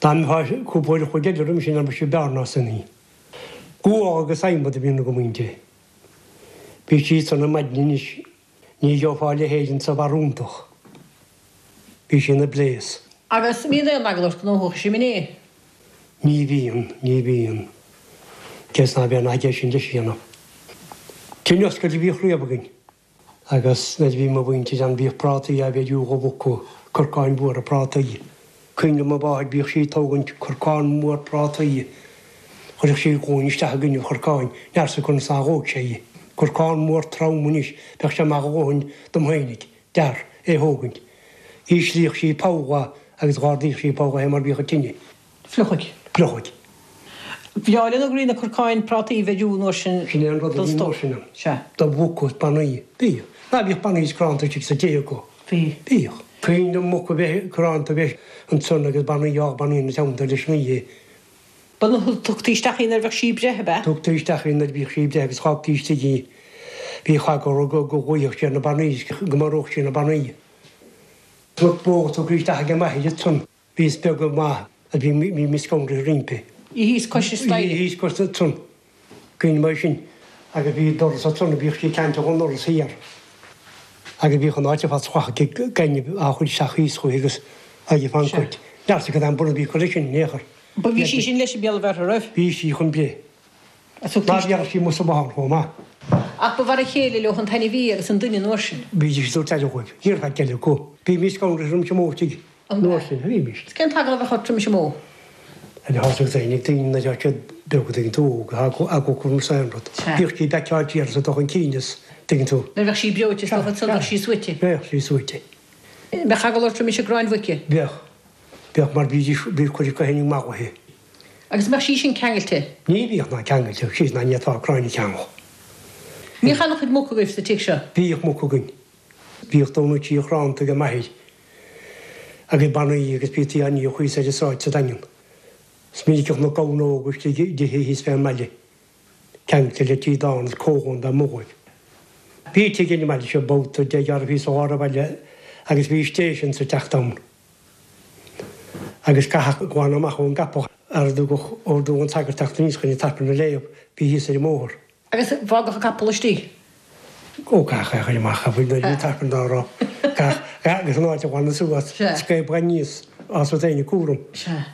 Dá mbeifeá cúpla uair a chloig eile roimis sin ambaiste b'fhearr ná sin í. Gual agus adhmad a bhíonn agam inti. Bhí sí sona maidin anois, ní gheofá a leithéid insa bharúntacht. Bhí sí ina bléas. Agus mbíonn aon eagla ort go ngnóthóidh sí mine? Ní bhíonn, ní bhíonn. Cé is ná bíonn aige sin leis a dhéanamh. Tine oscailte a bhíodh riamh againn agus nuair a bhí mo mhuintir ann bhíodh prátaí á bheiriú dho mhuca, corcáin mhóra prátaí. Cuimhin liom mo mháthair bhíodh sí ag tógaint corcán mór prátaí, chuirfeadh sí glúin isteach i gcoinne an chorcáin, n'fheadarsa conas nár dhóigh sé í. Corcán mór trom anois, bheadh sé maith a dhóthain dom fhéinig, d'fhear, é thógaint. Dh'íslíodh sí poll a agus dh'ardaíodh sí poll é mar bhíodh an tine. Fliuchaidh. Fliuchaidh. Bhreá leo go raibh na corcáin prátaí a bheiriú an uair sin Sin é an rud a don bhí an stór. uair sin ann. Sea. Do mhuca is bannaí. Bhíodh. Ná bhíodh bannaí is cránta istigh sa tigh acu. Bhí. Bhíodh. Cuimhin liom muca a bheith cránta a bheith ansan agus bannaí á bannaí ina teannta leis an oíche. Ba tugtaí isteach í nuair a bheadh sí ag breith, ab ea? Tugtaí isteach í nuair a bhíodh sí ag breith agus fágtaí istigh í. Bhíodh eagla go gcloífeadh sí ar na bannaí is go maródh sí na bannaí. Muc bó tugtha isteach ag m'athair ansan. Bhíos beag go maith agus bhí bhí scanraithe roimpi. Í thíos cois an staighre. Í thíos cois ansan. Cuimhin liom é sin. Agus bhí doras ansan a bhíodh sí ceangailte ón ndoras thiar. Agus bhíodh an áit ar fad srathach ag gaineamh á chur isteach thíos chuici agus aghaidh fán gcuid. N'fheadarsa cad é an borradh a bhí curtha sin in aon chor. Ba bhí sí sin leis an béal a bheartha roimh. Bhí sí chun breith. Ná bheadh sí amuigh sa bhothán chomh maith. Ach ba mhar a chéile leo an t-ainmhí agus an duine an uair sin. Bhídís ag tabhairt aire dhóibh. Ní raibh faic eile acu. Bhímis scanraithe roimis an mbó istigh an uair sin. Bhímis. Is cén t-eagla a bheadh ort roimis an mbó? Ar thosaigh féin ag daoine nuair atá siad beag a dtuigeann tú, óg, eagla acu roimis aon rud. Bhíodh sí baiceáilte ar is ag dul chun cinn is, tuigeann tú. Nuair a bheadh sí breoite is dócha ansan bheadh sí suaite. Bheadh sí suaite. Bheadh eagla ort roimis an gcráin mhuice? Bheadh. Bheadh mar bhídís, bhíodh cuid acu féin marbhaithe. Agus an mbeadh sí sin ceangailte? Ní bhíodh ná ceangailte, síos ná ní fhéadfá cráin a cheangal. Bhíodh an-chuid muc agaibh sa tigh seo? Bhíodh muc againn. Bhíodh dó nó trí chránta ag m'athair agus bannaí agus bhítí á ndíol thíos ar an sráid sa Daingean. Is minic a chonac gamhna óga istigh i dtithe thíos fén mbaile, ceangailte le tíodán is comhdhomhanda amuigh dhóibh. Bhí tigh ar an mbaile seo babhta de ghearradh thíos i lár an bhaile agus bhí station sa teach ann. Agus caithfeadh glanadh amach ón gcapall ar dtugadh ordú ón sagart teacht aníos chun an tAifreann a léamh, bhí thíos ar an mbóthar. Agus bhfágadh an capall istigh? Ó, caithfeadh é a chur amach, a bhfuil nuair a bhí an tAifreann dá rá. Caithfeadh, agus an áit a ghlanadh suas, scaipeadh aníos as rud éigin cúram. Sea.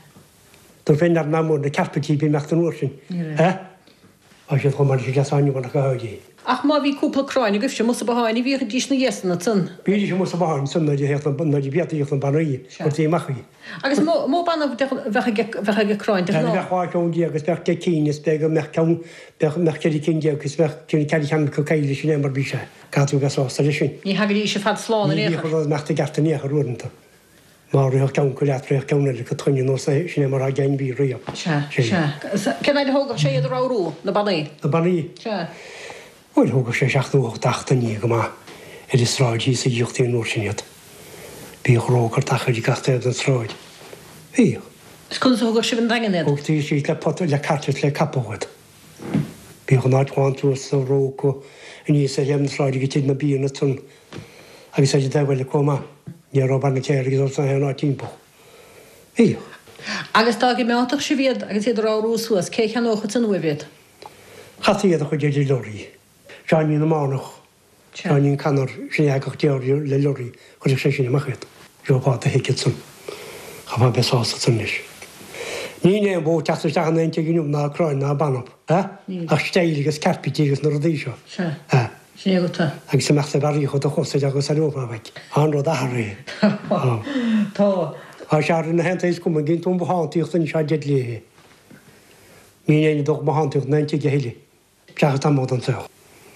Dúirt féin nach mór na cearpaití bhí imeacht an uair sin. Ní raibh. Tá siad chomh maith leis an gcleasán inniu ach go háirithe. Ach má bhí cúpla cráin agaibhse amuigh sa botháin bhídís ina dhiaidh san ansan. Bhídís amuigh sa bhothán ansan nuair a théadh na, nuair a bhíodh na bannaí, chuirtí amach í. Agus mó, mó banna a bheadh bheadh ag cráin de ghnáth? Bheadh 12 ceann agus bheadh 10 cinn is b'fhéidir go mbeadh ceann, bheadh, mbeadh 14 cinn is bheadh ceann, ceithre cheann acu caillte sin é mar bhí sé. Caithfidh tú a bheith sásta leis sin. Ní thagaidís ar fad slán in aon Ní chor. bhíodh rud imeacht i gceart in aon chor uaireanta. Má ritheadh ceann acu leat, ritheadh ceann eile acu chugainn anuas é, sin é mar atá ag ainmhí riamh. Sea, sea. Cén fhaid a thógadh sé iad a ramhrú, na bannaí? Na bannaí? Sea. Bhuel, thógadh sé seacht nó ocht seachtainí go maith. Ar an sráid thíos a dhíoltaí an uair sin iad. Bhíodh ró curtha acu ar gach taobh den tsráid. Bhíodh. Is conas a thugadh sibh 'on Daingean iad? Thugtaí síos le pota, le cairt is le capall iad. Bhíodh an áit lán suas sa ró acu aníos ar thaobh na sráide go Tigh na bhFiann ansan agus ar an dtaobh eile chomh maith. Ní raibh banna céarga dul sna haon áit timpeall. Bhíodh. Agus dá gcimeádfadh sibh iad agus iad a ramhrú suas, cé a cheannódh ansan uaibh iad? Chaithfí iad a chur ar lorry. Seáinín na Mánach. Seáinín Connor, sin é a thagadh déarfainn le lorry, chuirfeadh sé sin amach iad. Gheofá do thicket ansan. Chaithfeá bheith sásta ansan leis. Níl aon bhó ag teacht isteach in aon tigh inniu ná cráin ná banbh, eh? Ach style agus carpetí agus na rudaí seo. Sea. Eh. Sin é agat. Agus imeacht ag barraíocht do chos ar agus aireofá uait. Tá an rud athraithe. Tá. Tá. Tá sé athraithe na haon taobh is cuma an gcíonn tú an bothántaíocht anois á deadly é. Níl éinne ag dul bothántaíocht in aon tigh a thuilleadh. Seachas tamall den saol.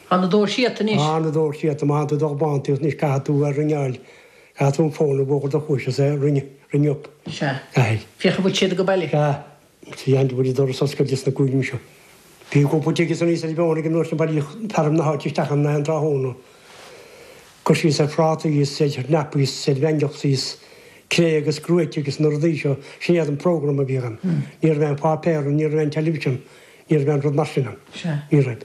Tá na doirse iata anois. Tá na doirse iata. Má tá tú ag dul bothántaíocht anois caithfidh tú a ringeáil, caithfidh tú an fón a mhúchadh do chluais is é ring, ring up. Sea. Caithfidh. Féach an bhfuil siad ag baile. Sea. Sea, an bhfuil an doras oscailte sna cúilíní seo. Bhí cúpla tigh is aníos ar an bheann ag an uair sin bailíodh fearaibh na háite isteach ann aon tráthnóna. Cur síos ar phrátaí is ar chnapaí is ar bheangeachtaí is cré agus gruaite agus na rudaí seo, sin iad an program a bhíodh ann. Ní raibh aon pháipéar ann, ní raibh aon television. Ní raibh aon rud mar sin ann. Sea. Ní raibh.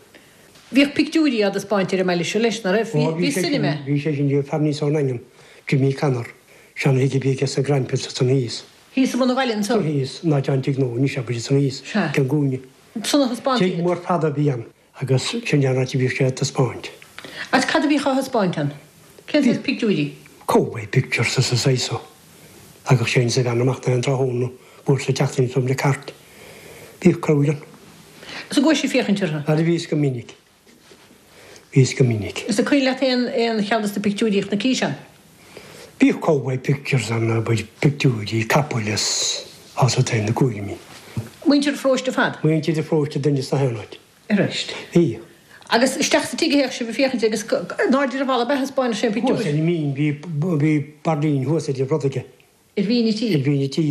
Bhíodh pictiúirí á dtaispeáint ar an mbaile seo leis, nach raibh? Ó, Bhí bhí sé sin, cinema. bhí sé sin, bhí fear aníos ón nDaingean, Jimmy Connor, seana-thigh a bhí aige sa Grantville ansan thíos. Thíos i mbun an bhaile anso? Thíos, in áit an tigh nua anois, abair, ansan thíos, Sea. ag an gcúinne. Ansan a thaispeántaí Tigh iad. mór fada a bhí ann agus sin é an áit a bhíodh sé ag taispeáint. Agus cad a bhíodh á thaispeáint ann? Cén saghas pictiúirí? Cowboy pictures is an saghas so. Thagadh sé is a bhean amach aon tráthnóna uair sa tseachtain is le cairt. Bhíodh crowd ann. Is an gcuaigh sibh féachaint orthu? Ara bhíos go minic. Bhíos go minic. Is an cuimhin leat aon aon cheann dos na pictiúirí a chonaicis ann? Bhíodh cowboy pictures ann, abair, pictiúirí capaill is as taobh na gcúirmí. Muintir an pharóiste ar fad? Muintir an pharóiste duine sna haon áit. Arís. Bhí. Agus isteach sa tigh a théadh sibh ag féachaint agus in airde ar an bhfalla ab ea a thaispeáineadh sé an pictiúr? Thuas ar an mbinn, bhí, bhí barrín thuas ar an rud aige. Ar bhinn an tí? Ar bhinn an tí.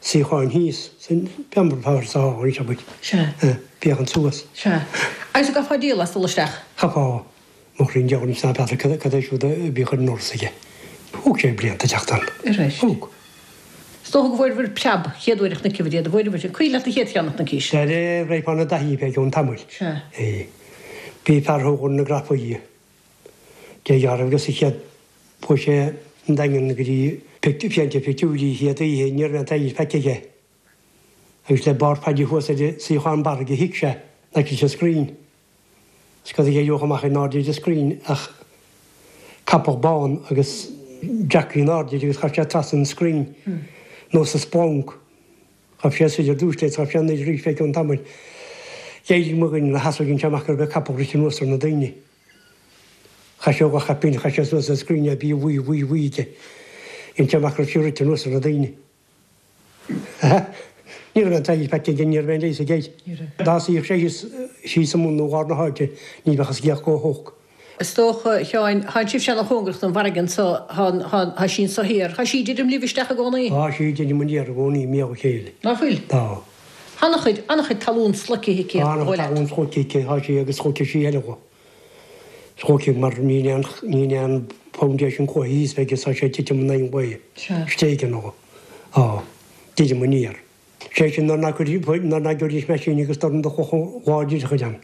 Suíocháin thíos, san bheamar sa hall anseo muid. Sea. Féachaint suas. Sea. Agus an gcaithfeá díol as dul isteach? Chaithfeá. Mo chroí an diabhal ná n'fheadar cad, cad é siúd a bhíodh ar an ndoras aige. Thóg sé blianta teacht ann. Arís. Thóg. Is dócha go bhfuaireabhair preab chéad uair a chonaiceabhair iad, an bhfuaireabhair? An cuimhin leat an chéad cheann a chonaicis? Sea, raghfá ina dtaithí fé gcionn tamaill. Sea. É. Bhí fear a thógadh na grafaí. Dé dhealramh agus a chéad chuaigh sé an Daingean go dtí féachaint ar phictiúirí an chéad oíche ní raibh aon tsaoir feicthe aige. Agus le barr Phaidí thuas ar an suíochán barraigh a shuigh sé in aice leis an scrín. Is cad a d'éireodh amach in airde ar an scrín ach capall bán agus jockey in airde air agus ghabh sé trasna an scrín nós an splonc. Ghabh sé soir ar dtús leis, ghabh sé anoir arís fé cionn tamaill. D'éirigh mo dhuine ina sheasamh dhein sé amach go raibh an capall rite anuas ar na daoine. Chaith sé dhá chaipín, chaith sé suas an scrín é, bhí bhuí bhuí bhuí aige. Dhein sé amach go raibh sí rite anuas ar na daoine. Ní raibh aon tsaoir feicthe aige, ní raibh aon leigheas aige air. Dá suíodh sé thíos, síos i mbun nó lár na háite, ní bheadh a sciath chomh holc. Is dócha, a Sheáin, thánn sibhse ana-chóngarach don bhfarraige anso, thá, thá, thá sí anso thiar, thá sí ag druidim libh isteach i gcónaí? Tá sí ag druidim aniar i gcónaí, míol a chéile. Ná fuil? Tá. Thá ana-chuid, ana-chuid talún sloicthe aici, Tá ana-chuid talún sloicthe aici, thá sí agus sloicfidh sí a thuilleadh. Sloicfidh mar níl aon, níl aon foundation cloiche thíos agus tá sé ag titim in aghaidh an lae. Sea. Stéigeann ó. Á. Druidim aniar. Sé sin nuair ná cuir, nuair ná gcuiridís meaisín agus dorn de chlocha láidir a chuid ann.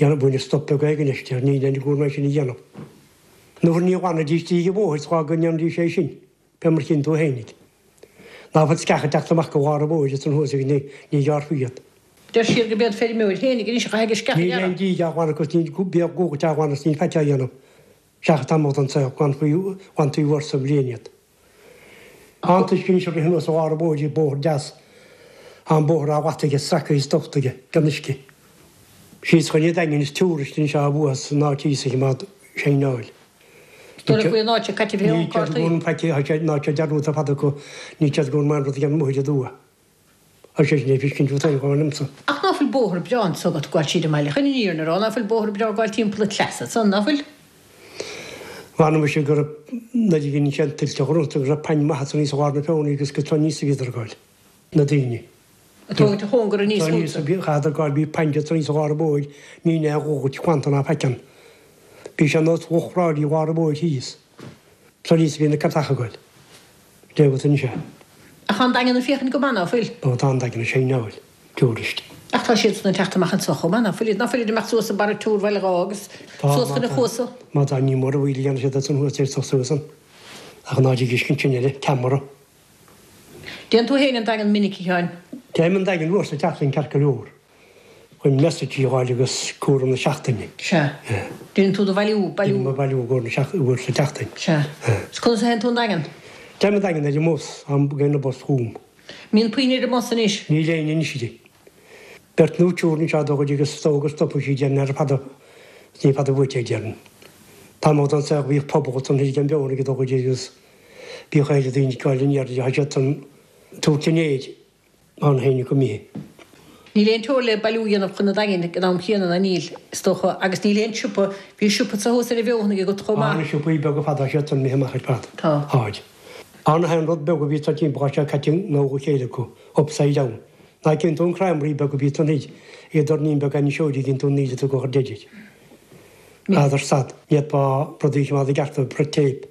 Dhéanamh baineadh stop beag éigin leis, deir níl aon gcúram é sin a dhéanamh. Nuair ní ghlanfaidís díg an bhóthair tráth go ndéanfaidís é sin, fé mar chinn tú fhéinig. Ná fuil sceacha ag teacht amach go lár an bhóthair ansan thuas agus ní, ní ghearrfaí iad. Deir siad gurb iad feirmeoir fhéinig anois a chaithfidh an sceach a Níl aon ghearradh. díg á ghlanadh agus níl bíodh guagairt á ghlanadh is níl faic á dhéanamh. Seachas tamall den tsaol, glanfaí, glantaí uair sa bhliain iad. Tá an t-uisce anois ag rith anuas ó lár an bhóthair, bóthar deas. Tá an bóthar á latadh aige, sractha is dochta aige, den uisce. Síos chun an Daingin is tourist anseo a bhuafas an áit thíos a choimeád saighneáil. Dúradh faoi an áit seo caite bheith ann cártaí. Ní faic tá sé ná sé dearúdta fada acu ní siad go mbeidh rud a dhéanamh amuigh aduaidh. Tá sé sin ag fiscint fút féin chomh maith liomsa. Ach ná fuil bóthar breá anso agat ag gabháil tríd an mbaile chun an fhírinne a rá, ná fuil bóthar breá ag gabháil timpeall an tsleasa ansan, ná fuil? Mh'anam mise go raibh nuair a dhein sé an tuilte ghrúnta go raibh painn maith ansan thíos i lár na feonaí agus go tráth níos a bhíodar ag gabháil, na daoine. Ag tógaint a chóngar aníos chútsa. Chaitheadar gáil bhí painn de tar éis lár an bhóthair ní aon dhóigh clannta ná faic ann. Bhí sé nós lucht ráillí lár an bhóthair thíos. Tar éis bhí na casacha ag goil. Léigh agat anois é. Ach tá an Daingean ag féachaint go maith, ná fuil? Ó tá an Daingean ag saighneáil. Tourist. Ach tá siadsan ag teacht amach anso chomh maith, ná fuil? Ná fuilid ag imeacht suas an Barra Túr Bhaile Dháith agus suas chun an Chuasa? Má tá ní mór a bhfuil a dhéanamh siad ansan thuas ar suas ann. Ach an áit ag uisce ansin eile, ceamara. Dtéann tú féin an Daingean minic, a Sheáin? Téim an Daingean uair sa tseachtain ceart go leor, chun messages a fháil agus cúram na seachtaine. Sea. Déanann tú do bhailiú, bailiú. Déanaim mo bhailiú i gcomhair na seachtaine, uair sa tseachtain. Sea. Is conas a théann tú an Daingean? Téim an Daingean ar an mbus, tagann an bus chugam. Mbíonn puinn ar an mbus anois? Níl éinne anois air. Beirt nó triúr anseo dá gcuid agus is dócha go stopfaidh siad déarfainn ar fada, is ní fada uait é déarfainn. Tamall den saol bhíodh pobal ansan thoir ag an bhFeonaigh dá gcuid agus Bhíodh éileamh daoine ag dul aniar tá siad san tabhairt an aeir ann féin go mbithe. Níl aon teora le bailiú a dhéanamh chun an Daingin ag an am chéanna, ná níl, is dócha, agus níl aon siopa, bhí siopa anso thuas ar an bhFeothanaigh agat chomh maith. Tá na siopaí beaga fada siad san imithe amach ar fad. Tá. Táid. An t-aon rud beag a bhí sa timpeall tá sé caite i ngabhal a chéile acu, upside down. Ná cíonn tú an creamery beag a bhí san thoir, ag an doirnín beag ainniseoirí gcíonn tú an níl tú go chur deidid. N'fheadar stad, ní fhéadfá rudaí a choimeád i gceart le tape.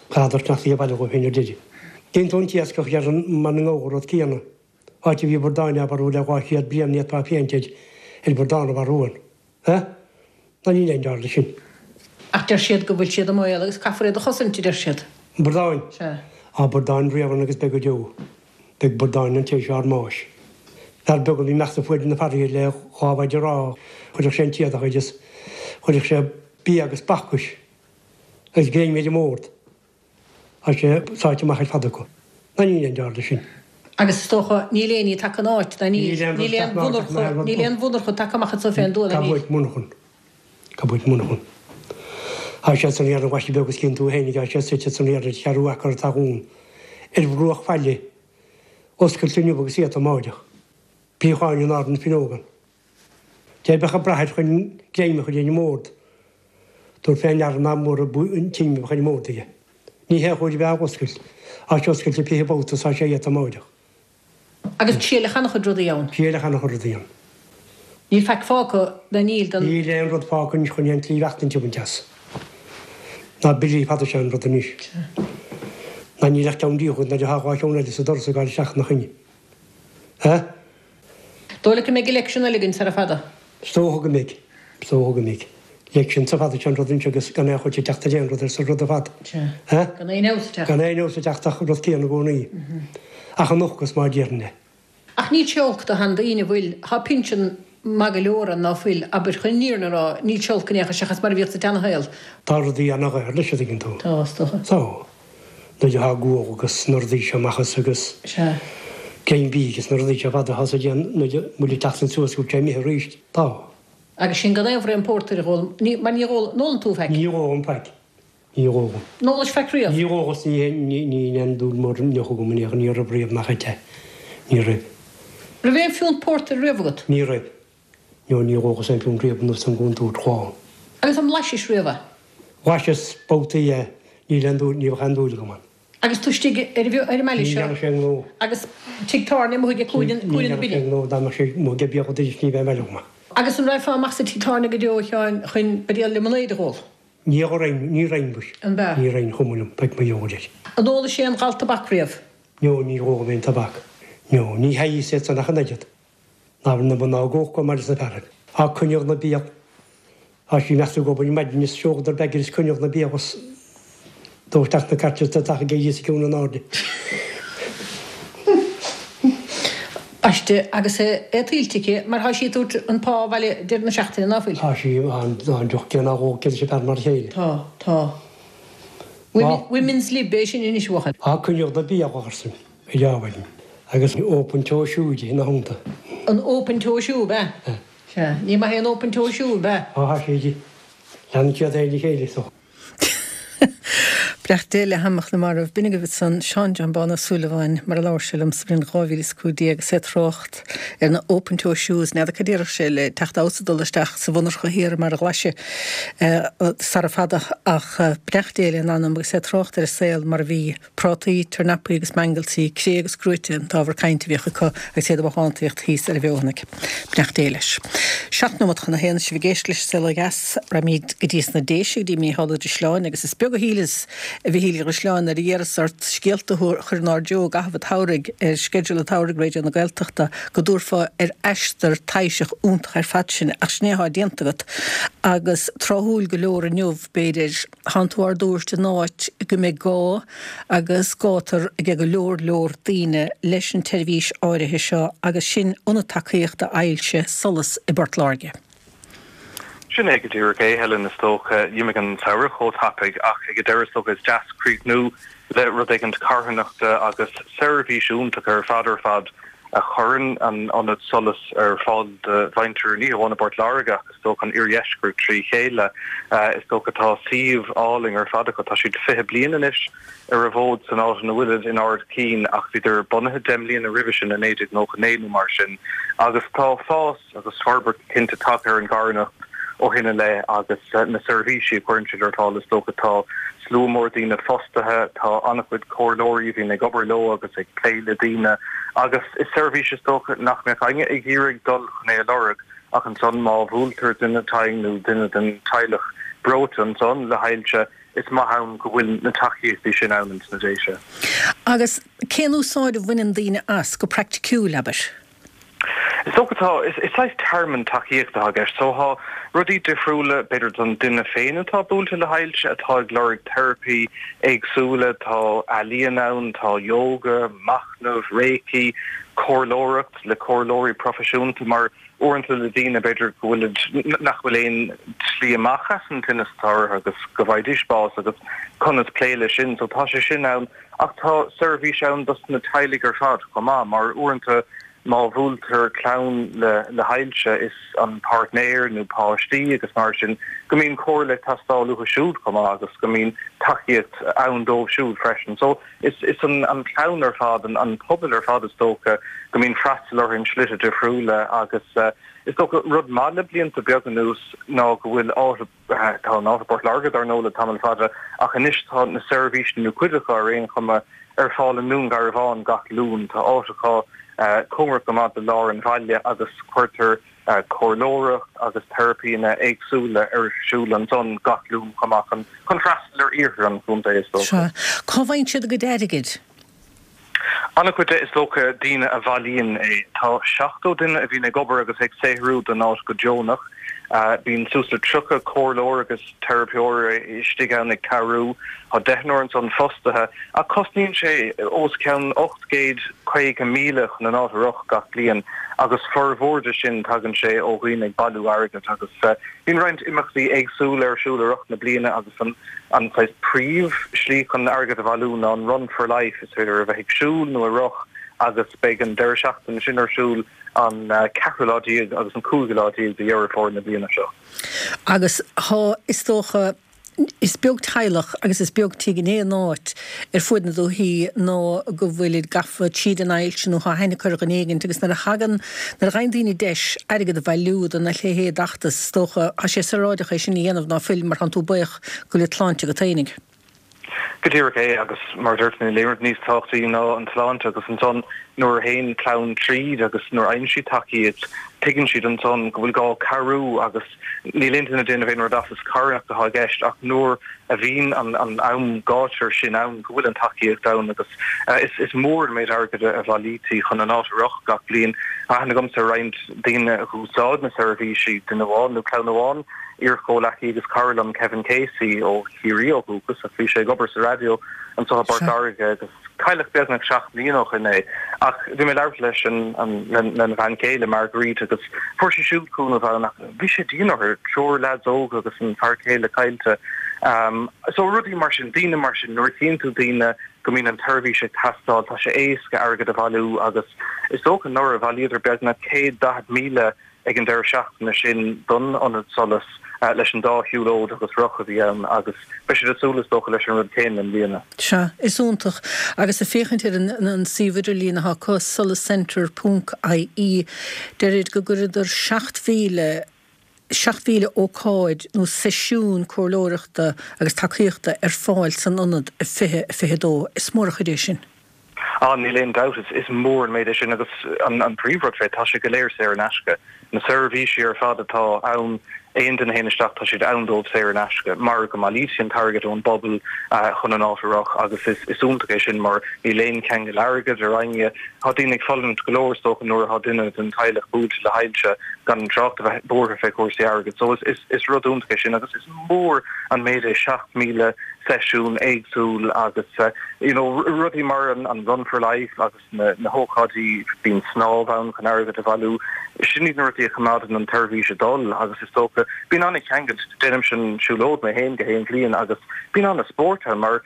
N'fheadar nach í a bhaile dhóibh féin ar deireadh. Cíonn tú an t-iascach ar an mban i ngabhal rud céanna. Áit a bhí bradáin á mharú le 200 bliain ní fhéadfá féachaint ar ar bhradán a mharú ann. Ha? Ná níl aon dearmad sin. Ach deir siad go bhfuil siad i mbaol agus caithfear iad a chosaint, a deir siad. Bradáin? Sea. Tá bradáin riamh ann agus beidh go deo. Beidh bradáin ann tar éis ár mbáis. Fear beag a bhí imeachta fuaid na farraige le dhá mhaide rámha, chuirfeadh sé an t-éadach air is chuirfeadh sé bia agus bacais Agus greim ar an mbord. Tá sé sáite amach ar fad acu. Ná níl aon dearmad sin. Agus is dócha, níl aon ní tagtha ina áit, ná níl. Níl aon mhonarcha, níl aon mhonarcha tagtha amach anso fén dtuath, ná níl. Gabh uait monarchan. Gabh uait monarchan. Tá sé san iarraidh bhaiste beag is cíonn tú fhéinig, tá sé suite san iarraidh cheathrú acra atá dhún ar bhruach faille, oscailte inniu agus iata amáireach. Bíocháin in ard na finneógan. Cé bheadh ag brath air chun greim a chur ar an mbord, tabhair fé ndeara nach mór an t-im a bheadh ar an mbord aige. Ní hé a chóir a bheith á oscailt, tá sé oscailte 20 babhta is tá sé iata amáireach. Agus triaileadh ana-chuid rudaí ann. Triaileadh ana-chuid rudaí ann. Níl faic fágtha, ná níl, den. Níl aon rud fágtha anois chun aon tslí bheachtaint a bhaint as. Ná billí fada is ea an rud anois. Ná níl ach ceann díobh agat nuair atá dhá cheann eile sa doras ag gabháil isteach ina choinne. Ha? Dóigh leat go mbeidh election eile againn sara fada? Is dócha go mbeidh. Is dócha go mbeidh. Election sa fada sin rud anseo agus gan aon chuid ag teacht ar aon rud arsa rud ar fad. Sea. Ha? Gan aon fheabhas ag teacht. Gan aon fheabhas ag teacht ach rud céanna i gcónaí. Ach an ocras mar a déarfainn é. Ach níl sé olc do sheandaoine, bhfuil? Tá pinsean maith go leor ann, ná fuil? Abair, chun an fhírinne a rá, níl sé olc in aon chor seachas mar a bhíodh sa tseanashaol. Tá rudaí ana-dhaor leis, a dtuigeann tú. Tá, is dócha. Tá. Nuair atá gual agus na rudaí seo amach as agus Sea. greim bídh agus na rudaí seo fada atá sa déan nuair a bhfuil ag teacht suas go bhfuil sé imithe arís. Tá. Agus sin gan aon bhraon pórtair a dh'ól, ní, mar ní dh'ól, an ólann tú faic? Ní ólaim faic. Ní ólaim. An ólais faic riamh? Ní ólas, ní, ní, ní aon dúil mór deoch agam in aon chor, ní raibh riamh nach ait é. Ní raibh. Raibh aon phiúnt pórtair riamh agat? Ní raibh. No, ní dh'ólas aon phiúnt riamh anuas an gcontúirt dhó. Agus an mblaisis riamh é? Bhlaiseas babhtaí é, níl aon dúil, ní bheadh aon dúil agam ann. Agus tú istigh ar an mbaile Ní seo dhearna sé aon ghnó. agus tigh tábhairne amuigh ag cúinne Ní na dhearna sé bine. aon ghnó, dá mbeadh sé amuigh ag biadh arís ní bheadh aon bhaile agam ann. Agus an raghfá amach sa tigh tábhairne go deo, a Sheáin, chun buidéal liomanáide a dh'ól? Ní raghainn, ní raghainn mhuis. An b'ea? Ní raghainn, chuma liom, beidh mo dheoir air. An ólais aon ghal tobac riamh? No, ní dh'ólaim aon tobac. No, ní theigheas iad san ach an oiread. Ná na mná go chomh maith leis na fearaibh. Á coinneadh na biadh. Tá sí measta ag obair maidin is seoladar beag is coinneadh na biadh is dó isteach na cairt is do tachaidh a dhíos ciúin in airde. Baiste agus é tuillte aici mar tá sí ag tabhairt an pá abhaile deireadh na seachtaine, ná fuil? Tá sí, tá an deoch céanna á ól aici leis an fear mar a chéile. Tá, tá. Women's Lib é sin anois, a bhuachaill. Á coinneadh na biadh arsa. Ar adhmhaidin, agus an open toe shoe di ina theannta. An open toe shoe, ab ea? Sea. Ní maith é an open toe shoe, ab ea? Ó, thá siad. Leanann siad é le chéile so. Beannacht Dé le hanam na marbh. B'in agaibh ansan Seán John Bán Ó Súilleabháin mar a labhair sé liom sa bhliain 2015 agus é ag trácht ar na open toe shoes. N'fheadar cad déarfadh sé le teacht abhus ag dul isteach sa mhonarcha thiar mar a Ghlaise sara fada ach beannacht Dé lena anam agus é ag trácht ar an saol mar a bhí. Prátaí, tornapaí agus mangeltaí, cré agus cruaite an t-ábhar cainte a bhíodh acu agus iad ag bothántaíocht thíos ar an bhFeothanaigh. Beannacht Dé leis. 7 nóimeat chun a haon, sibh ag éisteacht leis an Saol Ó Dheas. Raghaimid go dtí sna Déise, go dtí Mícheál Ó Drisleáin agus is beag a shíleas, a Mhichíl Uí Dhrisleáin, nuair a d'iarras ort scéalta a chur inár dtreo i gcaitheamh an tsamhraidh ar sceideal an tsamhraidh Raidió na Gaeltachta go dtabharfá ar aistear taibhseach iontach ar fad sinn ach sin é atá déanta agat agus tráthúil go leor inniu, b'fhéidir. Tánn tú ár dtabhairt in áit go mbeidh gá agus gátar age go leor leor daoine leis an tseirbhís áirithe seo agus sin Ionad Tacaíochta Ailse Solas i bPort Láirge. Sin é go díreach é, Helen, is dócha. D'imigh an samhradh chomh tapaidh ach ag an deireadh is dócha is deas críochnú le rud éigint carthanachta agus seirbhís iontach ar fad ar fad a chuireann an Ionad Solas ar fáil do mhuintir ní hamháin i bPort Láirge ach is dócha an iardheisceart trí chéile. Is dócha tá suíomh álainn ar fad acu. Tá siad 20 bliain anois ar an bhfód san áit ina bhfuilid in Ard Cinn ach bhíodar bunaithe 10 mbliana roimhe sin i 1999 nó mar sin agus tá fás agus forbairt cinnte tagtha ar an gcarthanacht ó shin i leith agus na seirbhísí a chuireann siad ar fáil is dócha tá slua mór daoine fostaithe, tá an-chuid comhairleoirí a bhíonn ag obair leo agus ag plé le daoine agus is seirbhís is dócha nach mbeadh éinne ag iarraidh dul chun é a lorg ach ansan má bhuailtear duine tinn nó duine den teaghlach breoite ansan le hailse is maith ann go bhfuil na tacaíochtaí sin ann ins na Déise. Agus cén úsáid a bhaineann daoine as, go praiticiúil, abair? Is dócha tá, is saghas tearmann tacaíochta atá i gceist. So tá rudaí difriúla, b'fhéidir don duine féin atá buailte le hailse, atá ag lorg teiripí éagsúla, tá ealaíon ann, tá yoga, machnamh, reiki, comhairleoireacht le comhairleoirí proifisiúnta mar uaireanta le daoine b'fhéidir go bhfuilid, nach bhfuil aon tslí amach as an tinneas atá orthu agus go bhfaighidís bás agus conas plé leis sin. So tá sé sin ann. Ach tá seirbhís ann dos na teaghlaigh ar fad chomh maith, mar uaireanta má bhuailtear clann le hailse is an páirtnéir nó páistí agus mar sin go mbíonn comhairle ag teastáil uathu siúd chomh maith agus go mbíonn tacaíocht ann dóibh siúd freisin. So is is an an clann ar fad, an an pobal ar fad is dócha go mbíonn freastal orthu in slite difriúla agus is dócha rud maith le blianta beaga anuas ná go bhfuil áit Tá an áit i bPort Láirge dar ndóigh le tamall fada ach anois tá na seirbhísí nó cuid acu ar aon chuma ar fáil i nDún Garbhán gach Luan. Tá áit acu cóngarach go maith do lár an bhaile agus cuirtear comhairleoireacht agus teiripíanna éagsúla ar siúl ansan gach Luan chomh maith chun freastal ar iarthar an chontae is dócha. Sea. Cá bhfaigheann siad a gcuid airgid? An-chuid de, is dócha, daoine a bhailíonn é. Tá 70 duine a bhíonn ag obair agus ag saothrú don áit go deonach. Bíonn suas le 30 comhairleoir agus teiripeoir istigh ann ag cabhrú. Tá deichniúr ansan fostaithe. Ach cosnaíonn sé os cionn 850,000 chun an áit a rith gach bliain agus formhór de sin tagann sé ó dhaoine ag bailiú airgid agus bíonn roinnt imeachtaí éagsúla ar siúl i rith na bliana agus an An saghas príomh slí chun airgead a bhailiú ná an Run for Life, is féidir a bheith ag siúl nó ag rith agus beidh an deireadh seachtaine sin ar siúl an ceathrú lá déag agus an cúigiú lá déag de Dheireadh Fómhair na bliana seo. Agus tá, is dócha, is beag teaghlach agus is beag tigh in aon áit ar fuaid na dúichí ná go bhfuilid gafa tríd an ailse nó tá aithne acu ar dhuine éigint agus nuair a thagann, nuair a fhaigheann daoine deis airgead a bhailiú dona leithéid d'fheachtas, is dócha, tá sé saoráideach é sin a dhéanamh ná fuil mar tánn tú buíoch go bhfuil an tsláinte agat fhéinig. Go díreach é agus mar a deir tú níl aon rud níos tábhachtaí ná an tsláinte agus ansan nuair a théann clann tríd agus nuair a fhaigheann siad tacaíocht tuigeann siad ansan go bhfuil gá cabhrú agus níl aon duine ag déanamh aon rud as, is carthanacht atá i gceist ach nuair a bhíonn an an am gátar sin ann go bhfuil an tacaíocht ann agus is mór an méid airgid a bhailítí chun an áit a rith gach bliain. Tá aithne agamsa ar roinnt daoine a dh'úsáid na seirbhísí, duine amháin nó clann amháin, Iar-chomhleacaí agus cara liom, Kevin Casey, ó Chiarraí ó dhúchas ach bhí sé ag obair sa raidió anseo i bPort Láirge agus cailleadh beagnach 7 mbliana ó shin é. Ach bhí mé ag labhairt leis an lena bhean chéile, Marguerite, agus fuair sí siúd cúnamh ann ach bhí sé dian orthu, triúr leaids óga agus an fear céile caillte. So rudaí mar sin, daoine mar sin, nuair a chíonn tú daoine go mbíonn an tseirbhís ag teastáil, tá sé éasca airgead a bhailiú agus. Is dócha anuraidh bhailíodar beagnach 140,000 ag an deireadh seachtaine sin don Ionad Solas leis an dá shiúlóid agus roth a bhí ann agus beidh siad ag súil is dócha leis an rud céanna i mbliana. Sea, is iontach. Agus ag féachaint ar an suíomh idirlín atá acu, solascentre ponc ie, deirid go gcuireadar 7,000, 7,000 ócáid nó seisiún comhairleoireachta agus tacaíochta ar fáil san ionad i 2022. Is mór an chuid é sin. Ah, níl aon dabht, is mór an méid é sin agus an príomhrud fé, tá sé go léir saor in aisce. Na seirbhísí ar fad atá ann, aon duine a théann isteach, tá siad ann dóibh saor in aisce, mar go mbailítear an t-airgead ón bpobal chun an áit a rith agus is iontach é sin mar níl aon cheangal airgid ar éinne. Tá daoine ag fulaingt go leor is dócha nuair atá duine den teaghlach buailte le hailse, gan trácht a bheith buartha fé chúrsaí airgid. So is rud iontach é sin agus is mór an méid é 7,000 seisiún éagsúil agus you know rudaí mar an Run for Life agus na na hócáidí, bíonn snámh ann chun airgead a bhailiú, sin iad na rudaí a choimeádann an tseirbhís ag dul agus is dócha bíonn an-cheangal, déanaimse an siúlóid mé féin gach aon bhliain agus bíonn an-spórt ann mar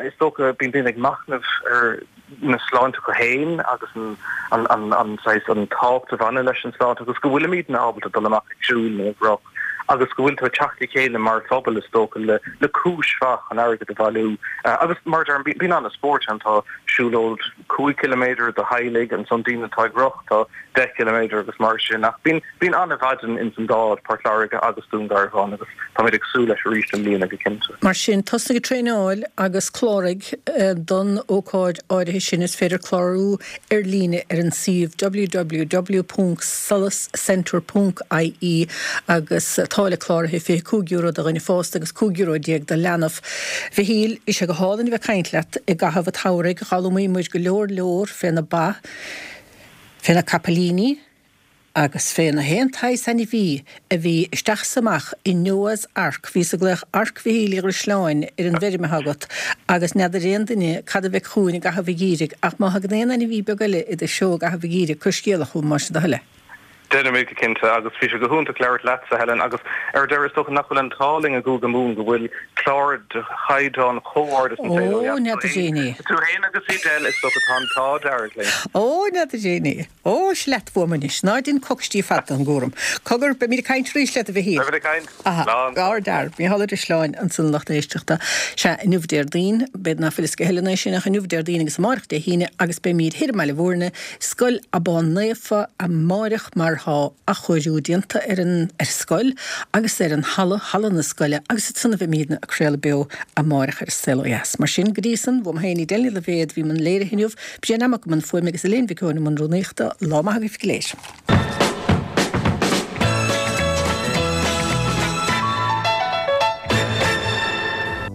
is dócha bíonn daoine ag machnamh ar na sláinte acu féin agus an an saghas an tábhacht a bhaineann leis an sláinte agus go bhfuilimidne ábalta dul amach ag siúl nó ag rith agus go bhfuil tú ag teacht le chéile mar phobal is dócha le le cúis mhaith chun airgead a bhailiú agus mar a deirim bíonn an-spórt ann tá siúlóid 5 ciliméadar do theaghlaigh ansan daoine atá ag rith tá 10 ciliméadar agus mar sin ach bíonn bíonn an-mhaidin ins an dá áit Port Láirge agus Dún Garbhán agus táimid ag súil leis arís i mbliana go cinnte. Mar sin, tosnaigh ag traenáil agus cláraigh don ócáid áirithe sin. Is féidir clárú ar líne ar an suíomh www.solascentre.ie agus táille cláraithe €25 do dhuine fásta agus €15 do leanbh. Mhichíl, bhí sé go hálainn a bheith ag caint leat i gcaitheamh an tsamhraidh. D'fhoghlaimigh muid go leor leor fé na ba, fé na capaillíní, agus fé na haon tsaghas ainmhí a bhí isteach is amach i Noah's Ark. Bhíos ag glaoch Arc Mhichíl Uí Dhrisleáin ar an bhfeirm atá agat agus n'fheadar aon duine cad a bheidh chugainn i gcaitheamh an gheimhridh ach má thagann aon ainmhí beag eile i do threo i gcaitheamh an gheimhridh, cuir scéala chugam, más é do thoil é. Déanfaimid go cinnte agus bhí sé go hiontach labhairt leatsa, Helen, agus ar deireadh is dócha nach bhfuil an t-ádh linn i gCúige Mumhan go bhfuil clár de chaighdeán chomh ard is An Saol Ó Dheas. Ó, n'fheadar éinne é. Tú fhéin agus Edel, is dócha tá an t-ádh dearg linn. Ó, n'fheadar éinne é. Ó, is leat uaim anois. Ná dein coicistí fada den gcúram. Cogar, beimid ag caint arís leat, a Mhichíl. Beimid ag caint. Aha. Slán. Ár dtear. Mícheál Ó Drisleáin ansan a lucht éisteachta. Sea, inniu Déardaoin, b'fhéidir ná fuil fhios ag a thuilleadh é sin, ach inniu Déardaoin agus amáireach Dé hAoine agus beimid thoir i mBaile Bhúirne, Scoil Abán Naofa amáireach mar tá athchóiriú déanta ar an ar scoil agus ar an halla, halla na scoile, agus ansan a bheimídne ag craoladh beo amáireach ar An Saol Ó Dheas. Mar sin, go dtí san, uaim féin Edel Ní Loibhéad, a bhí i mbun léirithe inniu, Brian Mac i mbun fuaime agus Elaine Mhic Eoin i mbun rúnaíochta. Lá maith agaibh go léir.